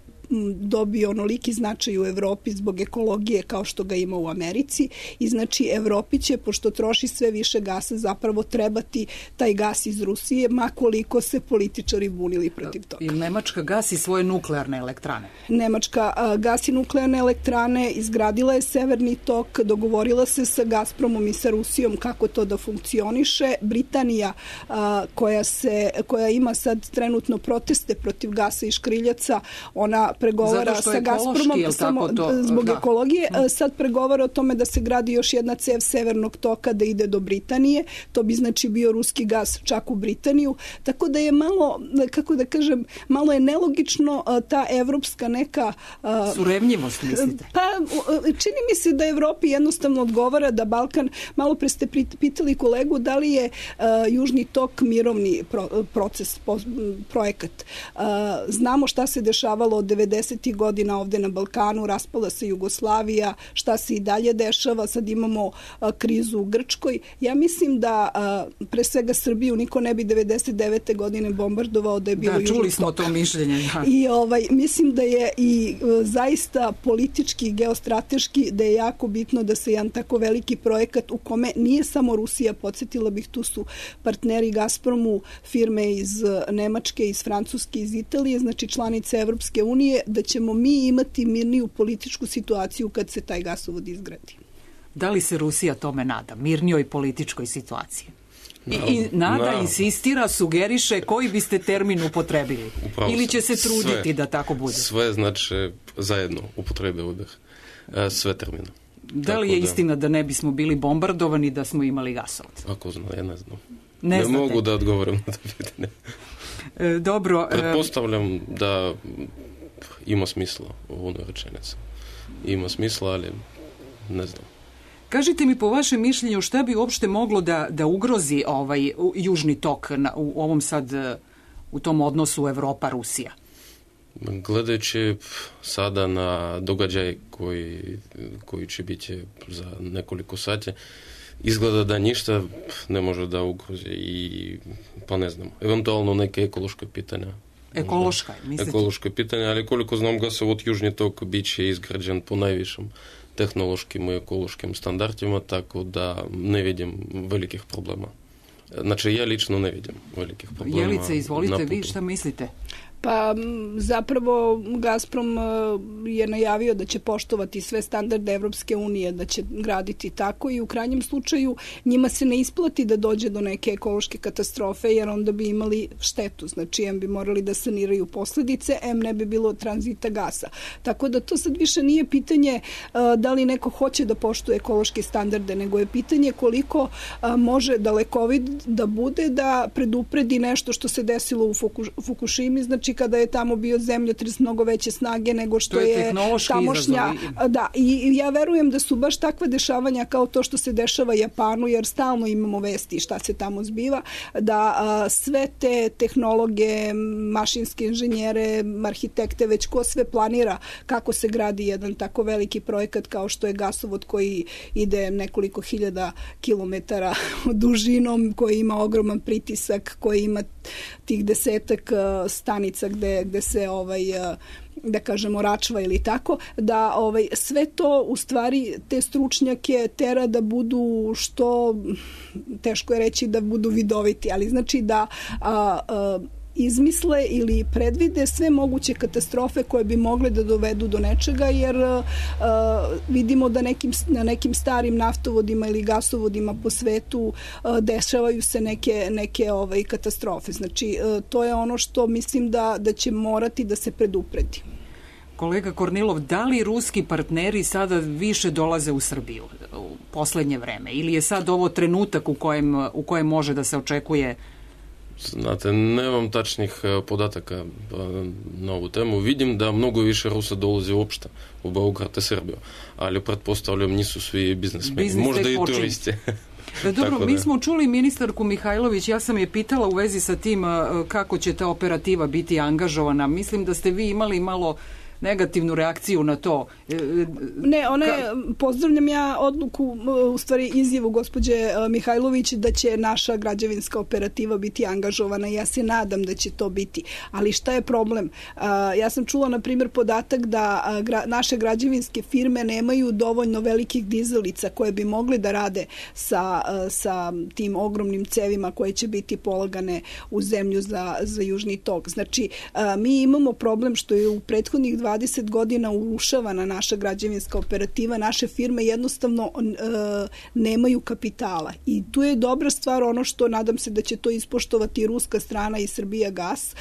I: dobio onoliki značaj u Evropi zbog ekologije kao što ga ima u Americi i znači Evropi će, pošto troši sve više gasa, zapravo trebati taj gas iz Rusije, ma koliko se političari bunili protiv toga.
B: I Nemačka gasi svoje nuklearne elektrane?
I: Nemačka gasi nuklearne elektrane, izgradila je Severni tok, dogovorila se sa Gazpromom i sa Rusijom kako to da funkcioniše. Britanija koja ima sad trenutno proteste protiv gasa i škriljaca, ona pregovara sa Gazpromom samo zbog ekologije. Sad pregovara o tome da se gradi još jedna cev Severnog toka da ide do Britanije. To bi znači bio ruski gas čak u Britaniju. Tako da je malo, kako da kažem, malo je nelogično ta evropska neka...
B: Surevnjivost, mislite?
I: Pa, čini mi se da Evropi jednostavno odgovara da Balkan, malo pre ste pitali kolegu da li je Južni tok mirovni proces, projekat. Znamo šta se dešavalo od 90. godina ovde na Balkanu, raspala se Jugoslavija, šta se i dalje dešava, sad imamo krizu u Grčkoj. Ja mislim da pre svega Srbiju niko ne bi 99. godine bombardovao da je bilo Južni tok.
B: Da, čuli smo to mišljenje. Da.
I: I mislim da je i zaista politički, geostrateški, da je jako bitno da se jedan tako veliki projekat u kome nije samo Rusija, podsjetila bih, tu su partneri Gazpromu, firme iz Nemačke, iz Francuske, iz Italije, znači članice Evropske unije, da ćemo mi imati mirniju političku situaciju kad se taj gasovod izgradi.
B: Da li se Rusija tome nada, mirnijoj političkoj situaciji? I nada insistira, sugeriše koji biste termin upotrebili? Ili će se truditi da tako bude?
J: Sve znači zajedno upotrebe ovdje. Sve termine.
B: Da li je istina da ne bismo bili bombardovani da smo imali gasovod?
J: Ako znam, ja ne znam.
B: Ne
J: mogu da odgovorim na to pitanje.
B: Dobro.
J: Pretpostavljam da ima smisla u onoj rečenici. Ima smisla, ali ne znam.
B: Kažite mi po vašem mišljenju šta bi uopšte moglo da ugrozi ovaj Južni tok u ovom sad, u tom odnosu Evropa-Rusija?
J: Gledajući sada na događaj koji će biti za nekoliko sati, izgleda da ništa ne može da ugrozi i pa ne znam, eventualno neke ekološke pitanja.
B: Ekološka, mislite?
J: Ekološke pitanja, ali koliko znam gasovod Južni tok bit će izgrađen po najvišim tehnološkim i ekološkim standardima, tako da ne vidim velikih problema. Znači, ja lično ne vidim velikih problema.
B: Jelice, izvolite, vi šta mislite?
I: Pa zapravo Gazprom je najavio da će poštovati sve standarde Evropske unije, da će graditi tako i u krajnjem slučaju njima se ne isplati da dođe do neke ekološke katastrofe jer onda bi imali štetu. Znači, em bi morali da saniraju posledice, em ne bi bilo tranzita gasa. Tako da to sad više nije pitanje da li neko hoće da poštuje ekološke standarde, nego je pitanje koliko može dalekovid da bude da predupredi nešto što se desilo u Fukushimi, znači znači kada je tamo bio zemljotres mnogo veće snage nego što je tamošnja. Da, i ja verujem da su baš takva dešavanja kao to što se dešava Japanu, jer stalno imamo vesti šta se tamo zbiva, da sve te tehnologe, mašinske inženjere, arhitekte, već ko sve planira kako se gradi jedan tako veliki projekat kao što je gasovod koji ide nekoliko hiljada kilometara dužinom, koji ima ogroman pritisak, koji ima tih 10 stanica gde se da kažemo račva ili tako, da sve to u stvari te stručnjake tera da budu što, teško je reći da budu vidoviti, ali znači da izmisle ili predvide sve moguće katastrofe koje bi mogle da dovedu do nečega, jer vidimo da na nekim starim naftovodima ili gasovodima po svetu dešavaju se neke katastrofe. Znači, to je ono što mislim da će morati da se predupredi.
B: Kolega Kornilov, da li ruski partneri sada više dolaze u Srbiju u poslednje vreme? Ili je sad ovo trenutak u kojem može da se očekuje?
J: Znate, nemam tačnih podataka na ovu temu. Vidim da mnogo više Rusa dolazi uopšte u Beograd i Srbiju, ali pretpostavljam nisu svi biznesmeni, možda i turisti.
B: Dobro, mi smo čuli ministarku Mihajlović, ja sam je pitala u vezi sa tim kako će ta operativa biti angažovana. Mislim da ste vi imali malo negativnu reakciju na to.
I: Ne, pozdravljam ja odluku, u stvari izjavu gospođe Mihajlović da će naša građevinska operativa biti angažovana. Ja se nadam da će to biti. Ali šta je problem? Ja sam čula, na primjer, podatak da naše građevinske firme nemaju dovoljno velikih dizalica koje bi mogli da rade sa tim ogromnim cevima koje će biti polagane u zemlju za Južni tok. Znači, mi imamo problem što je u prethodnih 20 godina urušavana naša građevinska operativa, naše firme jednostavno nemaju kapitala. I tu je dobra stvar ono što nadam se da će to ispoštovati i ruska strana i Srbijagas,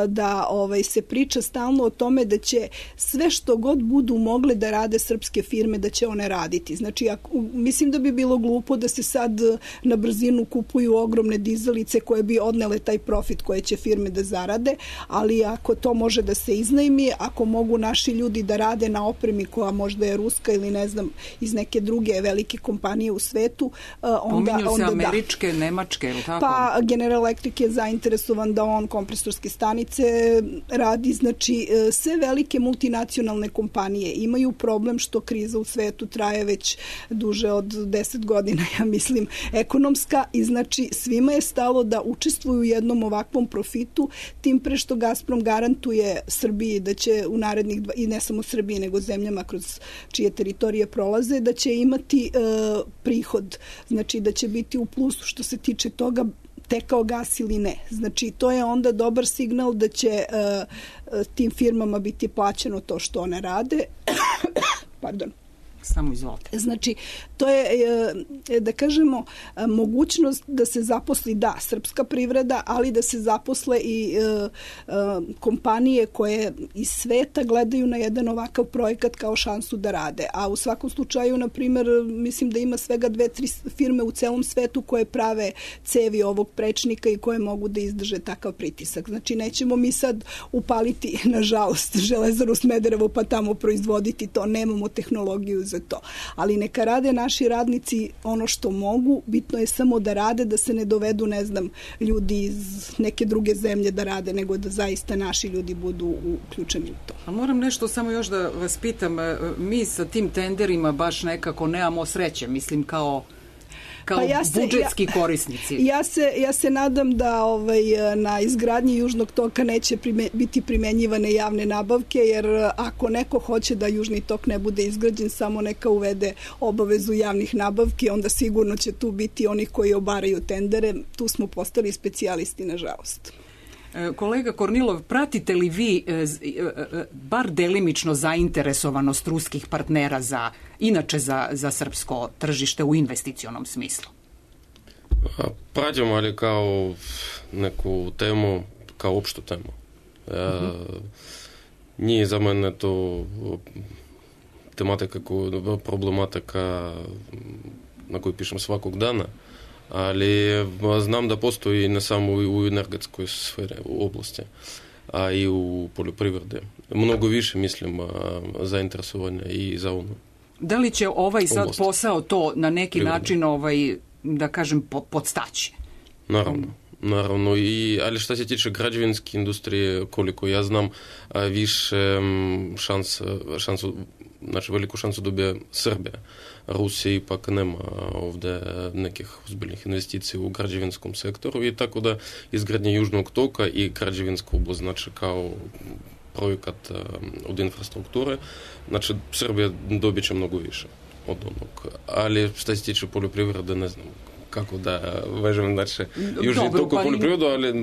I: da se priča stalno o tome da će sve što god budu mogle da rade srpske firme, da će one raditi. Znači, mislim da bi bilo glupo da se sad na brzinu kupuju ogromne dizalice koje bi odnele taj profit koje će firme da zarade, ali ako to može da se iznajmi, ako mogu naši ljudi da rade na opremi koja možda je ruska ili ne znam iz neke druge velike kompanije u svetu, onda
B: se američke, nemačke, ili tako?
I: Pa General Electric je zainteresovan da on kompresorske stanice radi. Znači, sve velike multinacionalne kompanije imaju problem što kriza u svetu traje već duže od 10 godina, ja mislim, ekonomska, i znači svima je stalo da učestvuju u jednom ovakvom profitu, tim pre što Gazprom garantuje Srbiji da će u narednih, i ne samo Srbiji, nego zemljama kroz čije teritorije prolaze, da će imati prihod. Znači, da će biti u plusu što se tiče toga tekao gas ili ne. Znači, to je onda dobar signal da će tim firmama biti plaćeno to što one rade. Pardon.
B: Samo izvolite.
I: Znači, to je, da kažemo, mogućnost da se zaposli, srpska privreda, ali da se zaposle i kompanije koje iz sveta gledaju na jedan ovakav projekat kao šansu da rade. A u svakom slučaju, na primjer, mislim da ima svega 2-3 firme u celom svetu koje prave cevi ovog prečnika i koje mogu da izdrže takav pritisak. Znači, nećemo mi sad upaliti, nažalost, Železaru Smederevo pa tamo proizvoditi to, nemamo tehnologiju za to. Ali neka rade naši radnici ono što mogu, bitno je samo da rade, da se ne dovedu, ne znam, ljudi iz neke druge zemlje da rade, nego da zaista naši ljudi budu uključeni u to.
B: A moram nešto samo još da vas pitam, mi sa tim tenderima baš nekako nemamo sreće, mislim kao budžetski korisnici.
I: Ja se nadam da na izgradnji Južnog toka neće biti primenjivane javne nabavke, jer ako neko hoće da Južni tok ne bude izgrađen, samo neka uvede obavezu javnih nabavki, onda sigurno će tu biti onih koji obaraju tendere. Tu smo postali specijalisti, nažalost.
B: Kolega Kornilov, pratite li vi bar delimično zainteresovanost ruskih partnera inače za srpsko tržište u investicionom smislu?
J: Pratim, ali kao neku temu, kao opštu temu. Nije za mene to tematika, problematika na koju pišem svakog dana, ali znam da postoji ne samo u energetskoj sferi, u oblasti. a i u poljoprivrede. Mnogo više, mislim, zainteresovanja i za ono.
B: Da li će ovaj sad posao to na neki način, da kažem, podstaći?
J: Naravno, ali što se tiče građevinske industrije, koliko ja znam, više šansu, znači veliku šansu dobije Srbija. Rusija ipak nema ovdje nekih ozbiljnih investicija u građevinskom sektoru i tako da izgradnja Južnog toka i građevinska oblast, znači kao projekat od infrastrukture, znači Srbija dobit će mnogo više od onog. Ali što se tiče poljoprivrede, ne znam kako da vežem, znači Južni tok u poljoprivredu, ali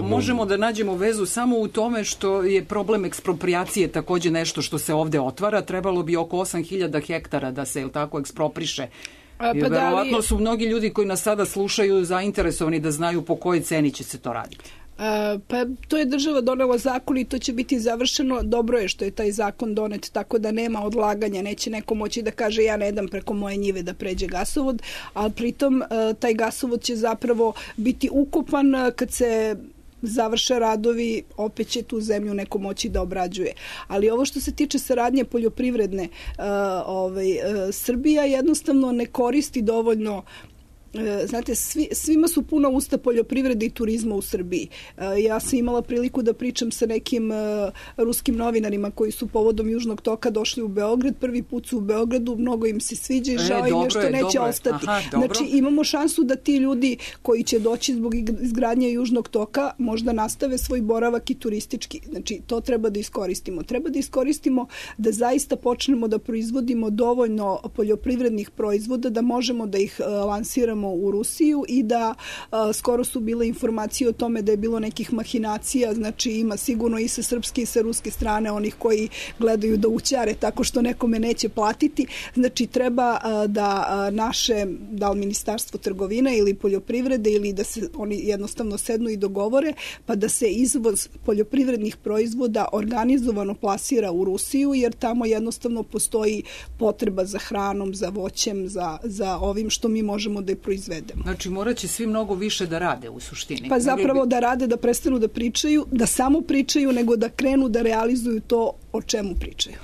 B: možemo da nađemo vezu samo u tome što je problem ekspropriacije također nešto što se ovdje otvara. Trebalo bi oko 8.000 hektara da se tako ekspropriše. Verovatno su mnogi ljudi koji nas sada slušaju zainteresovani da znaju po kojoj ceni će se to raditi.
I: Pa to je država donela zakon i to će biti završeno. Dobro je što je taj zakon donet, tako da nema odlaganja, neće neko moći da kaže ja ne dam preko moje njive da pređe gasovod, ali pritom taj gasovod će zapravo biti ukopan kad se završe radovi, opet će tu zemlju neko moći da obrađuje. Ali ovo što se tiče saradnje poljoprivredne, Srbija jednostavno ne koristi dovoljno. Znate, svima su puna usta poljoprivrede i turizma u Srbiji. Ja sam imala priliku da pričam sa nekim ruskim novinarima koji su povodom Južnog toka došli u Beograd. Prvi put su u Beogradu, mnogo im se sviđa i žao im je što neće ostati. Znači, imamo šansu da ti ljudi koji će doći zbog izgradnje Južnog toka možda nastave svoj boravak i turistički. Znači, to treba da iskoristimo. Treba da iskoristimo da zaista počnemo da proizvodimo dovoljno poljoprivrednih proizvoda, da možemo da ih lansiramo u Rusiju i da skoro su bile informacije o tome da je bilo nekih mahinacija, znači ima sigurno i sa srpske i sa ruske strane onih koji gledaju da ućare tako što nekome neće platiti. Znači treba da naše, da li Ministarstvo trgovine ili poljoprivrede ili da se oni jednostavno sednu i dogovore pa da se izvoz poljoprivrednih proizvoda organizovano plasira u Rusiju jer tamo jednostavno postoji potreba za hranom, za voćem, za ovim što mi možemo da je proizvedemo.
B: Znači morat će svi mnogo više da rade u suštini.
I: Pa zapravo da rade, da prestanu da pričaju, da samo pričaju, nego da krenu da realizuju to o čemu pričaju.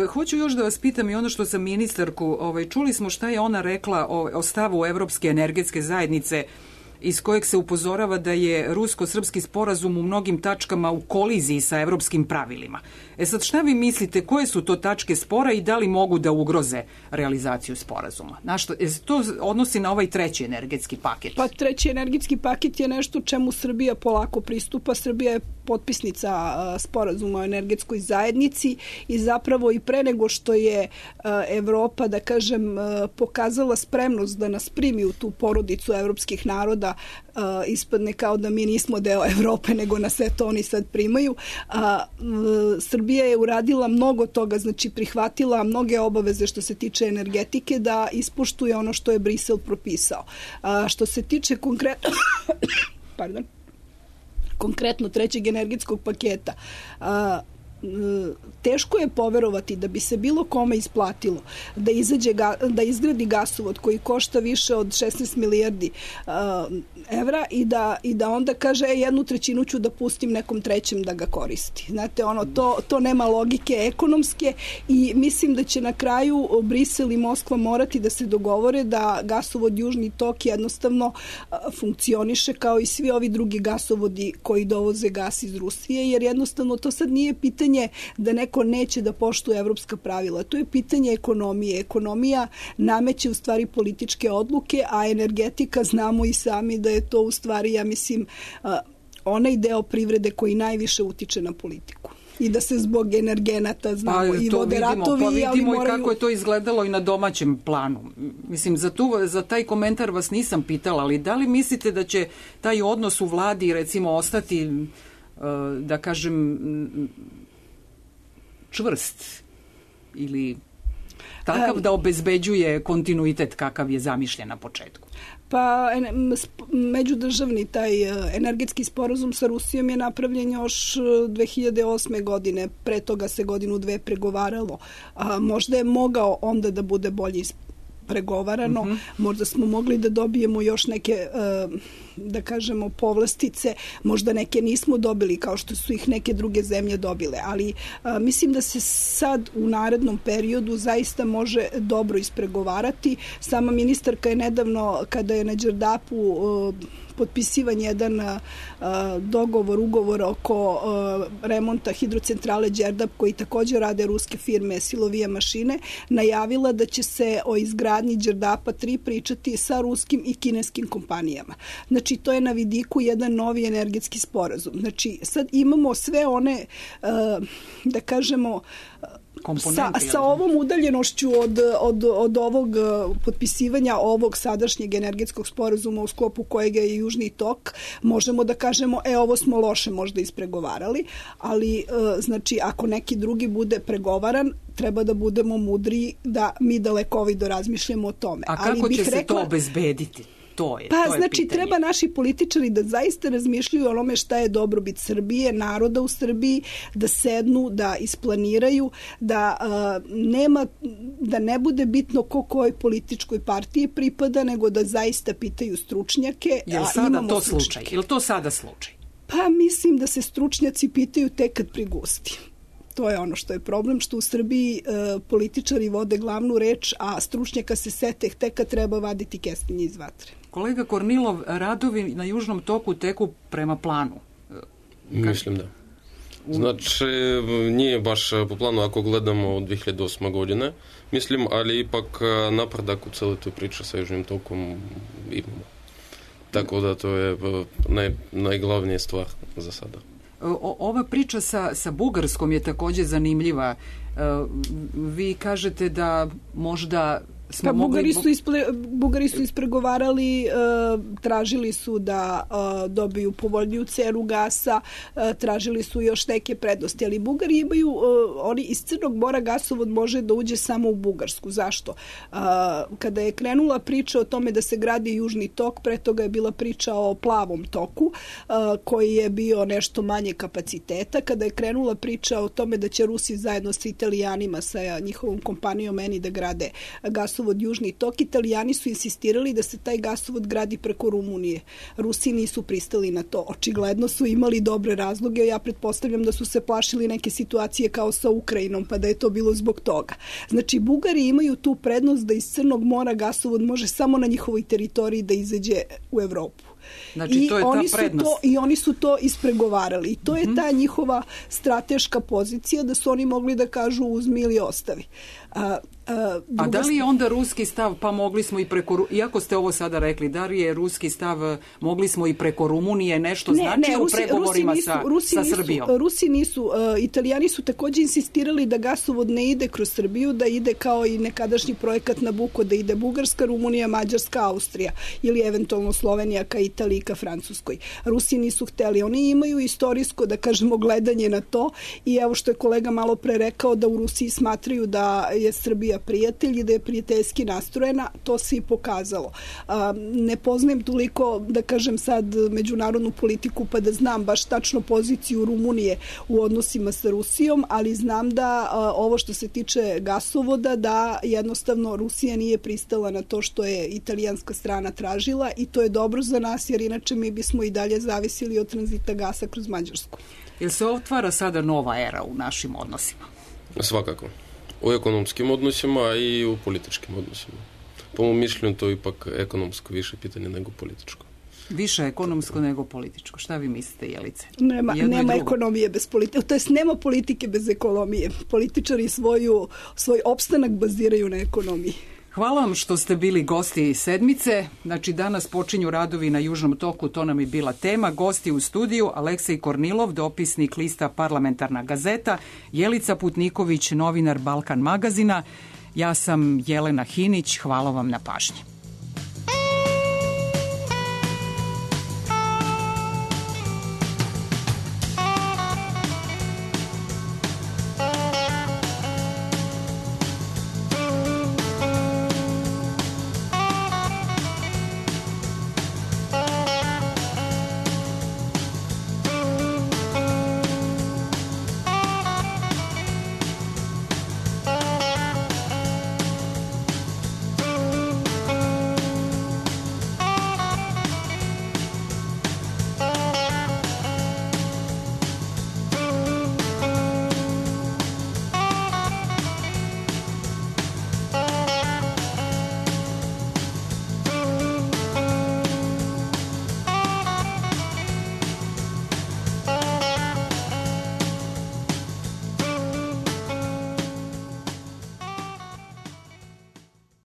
B: Hoću još da vas pitam i ono što sam ministarku, čuli smo šta je ona rekla o stavu Evropske energetske zajednice iz kojeg se upozorava da je rusko-srpski sporazum u mnogim tačkama u koliziji sa evropskim pravilima. Sad šta vi mislite, koje su to tačke spora i da li mogu da ugroze realizaciju sporazuma? To odnosi na ovaj treći energetski paket?
I: Pa treći energetski paket je nešto čemu Srbija polako pristupa. Srbija je potpisnica sporazuma o energetskoj zajednici i zapravo i pre nego što je Evropa, da kažem, pokazala spremnost da nas primi u tu porodicu evropskih naroda, ispadne kao da mi nismo deo Evrope, nego nas eto oni sad primaju. Srbija je uradila mnogo toga, znači prihvatila mnoge obaveze što se tiče energetike da ispoštuje ono što je Brisel propisao. Što se tiče konkretno trećeg energetskog paketa, teško je poverovati da bi se bilo kome isplatilo da izgradi gasovod koji košta više od 16 milijardi evra i da onda kaže jednu trećinu ću da pustim nekom trećem da ga koristi. Znate, to nema logike ekonomske i mislim da će na kraju Brisel i Moskva morati da se dogovore da gasovod Južni tok jednostavno funkcioniše kao i svi ovi drugi gasovodi koji dovoze gas iz Rusije, jer jednostavno to sad nije pitanje da neko neće da poštuje evropska pravila. To je pitanje ekonomije. Ekonomija nameće u stvari političke odluke, a energetika znamo i sami da je to u stvari, ja mislim, onaj deo privrede koji najviše utiče na politiku. I da se zbog energenata znamo i vode ratovi.
B: Pa vidimo i kako je to izgledalo i na domaćem planu. Mislim, za taj komentar vas nisam pitala, ali da li mislite da će taj odnos u vladi recimo ostati, da kažem, čvrst ili takav da obezbeđuje kontinuitet kakav je zamišljen na početku?
I: Pa međudržavni taj energetski sporazum sa Rusijom je napravljen još 2008. godine. Pre toga se godinu dve pregovaralo. Možda je mogao onda da bude bolje pregovarano. Možda smo mogli da dobijemo još neke, da kažemo, povlastice, možda neke nismo dobili kao što su ih neke druge zemlje dobile, ali mislim da se sad u narednom periodu zaista može dobro ispregovarati. Sama ministarka je nedavno, kada je na Đerdapu potpisivan jedan ugovor oko remonta hidrocentrale Đerdap, koji također rade ruske firme Silovija mašine, najavila da će se o izgradnji Đerdapa 3 pričati sa ruskim i kineskim kompanijama. Znači, to je na vidiku jedan novi energetski sporazum. Znači, sad imamo sve one, da kažemo, sa ovom udaljenošću od ovog potpisivanja ovog sadašnjeg energetskog sporazuma u sklopu kojeg je Južni tok, možemo da kažemo, ovo smo loše možda ispregovarali, ali znači ako neki drugi bude pregovaran, treba da budemo mudri da mi dalekovido razmišljamo o tome.
B: A kako će se to obezbediti? To je
I: znači,
B: pitanje.
I: treba naši političari da zaista razmišljaju o onome šta je dobrobit Srbije, naroda u Srbiji, da sednu, da isplaniraju, da ne bude bitno kojoj političkoj partiji pripada, nego da zaista pitaju stručnjake.
B: Je li sada to slučaj? Je li to sada slučaj?
I: Pa mislim da se stručnjaci pitaju tek kad prigusti. To je ono što je problem, što u Srbiji političari vode glavnu reč, a stručnjaka se sete tek kad treba vaditi kestenje iz vatre.
B: Kolega Kornilov, radovi na Južnom toku teku prema planu.
J: Mislim da. Znači, nije baš po planu ako gledamo od 2008. godine, mislim, ali ipak napredak u celoj toj priči sa Južnim tokom imamo. Tako da to je najglavnija stvar za sada.
B: Ova priča sa Bugarskom je također zanimljiva. Vi kažete da možda smo mogli...
I: Bugari su ispregovarali, tražili su da dobiju povoljniju cenu gasa, tražili su još neke prednosti, ali Bugari imaju, oni iz Crnog mora gasovod može da uđe samo u Bugarsku. Zašto? Kada je krenula priča o tome da se gradi Južni tok, pre toga je bila priča o plavom toku, koji je bio nešto manje kapaciteta. Kada je krenula priča o tome da će Rusi zajedno sa Italijanima, sa njihovom kompanijom Eni da grade gasovod Južni tok, Italijani su insistirali da se taj gasovod gradi preko Rumunije. Rusi nisu pristali na to. Očigledno su imali dobre razloge. Ja pretpostavljam da su se plašili neke situacije kao sa Ukrajinom, pa da je to bilo zbog toga. Znači, Bugari imaju tu prednost da iz Crnog mora gasovod može samo na njihovoj teritoriji da izađe u Evropu.
B: Znači, to je ta prednost.
I: I oni su to ispregovarali. I to je ta njihova strateška pozicija da su oni mogli da kažu uzmi ili ostavi.
B: A da li je onda ruski stav, pa mogli smo i preko, iako ste ovo sada rekli, da li je ruski stav, mogli smo i preko Rumunije nešto znači u pregovorima sa Srbijom?
I: Rusi nisu, Italijani su također insistirali da gasovod ne ide kroz Srbiju, da ide kao i nekadašnji projekat Nabuko, da ide Bugarska, Rumunija, Mađarska, Austrija ili eventualno Slovenija ka Italiji, ka Francuskoj. Rusi nisu hteli. Oni imaju istorijsko, da kažemo, gledanje na to i evo što je kolega malo pre rekao da u Rusiji smatraju da je Srbija prijatelj i da je prijateljski nastrojena, to se i pokazalo. Ne poznajem toliko, da kažem sad, međunarodnu politiku pa da znam baš tačno poziciju Rumunije u odnosima sa Rusijom, ali znam da ovo što se tiče gasovoda, da jednostavno Rusija nije pristala na to što je italijanska strana tražila i to je dobro za nas, jer inače mi bismo i dalje zavisili od tranzita gasa kroz Mađarsku.
B: Jel se otvara sada nova era u našim odnosima?
J: Svakako. U ekonomskim odnosima i u političkim odnosima. Po mom mišljenju to je ipak ekonomsko više pitanje nego političko.
B: Više ekonomsko nego političko. Šta vi mislite, Jelice?
I: Nema ekonomije bez politike. To jest nema politike bez ekonomije. Političari svoj opstanak baziraju na ekonomiji.
B: Hvala vam što ste bili gosti sedmice. Znači, danas počinju radovi na Južnom toku, to nam je bila tema. Gosti u studiju Aleksej Kornilov, dopisnik lista Parlamentarna gazeta, Jelica Putniković, novinar Balkan magazina. Ja sam Jelena Hinić, hvala vam na pažnji.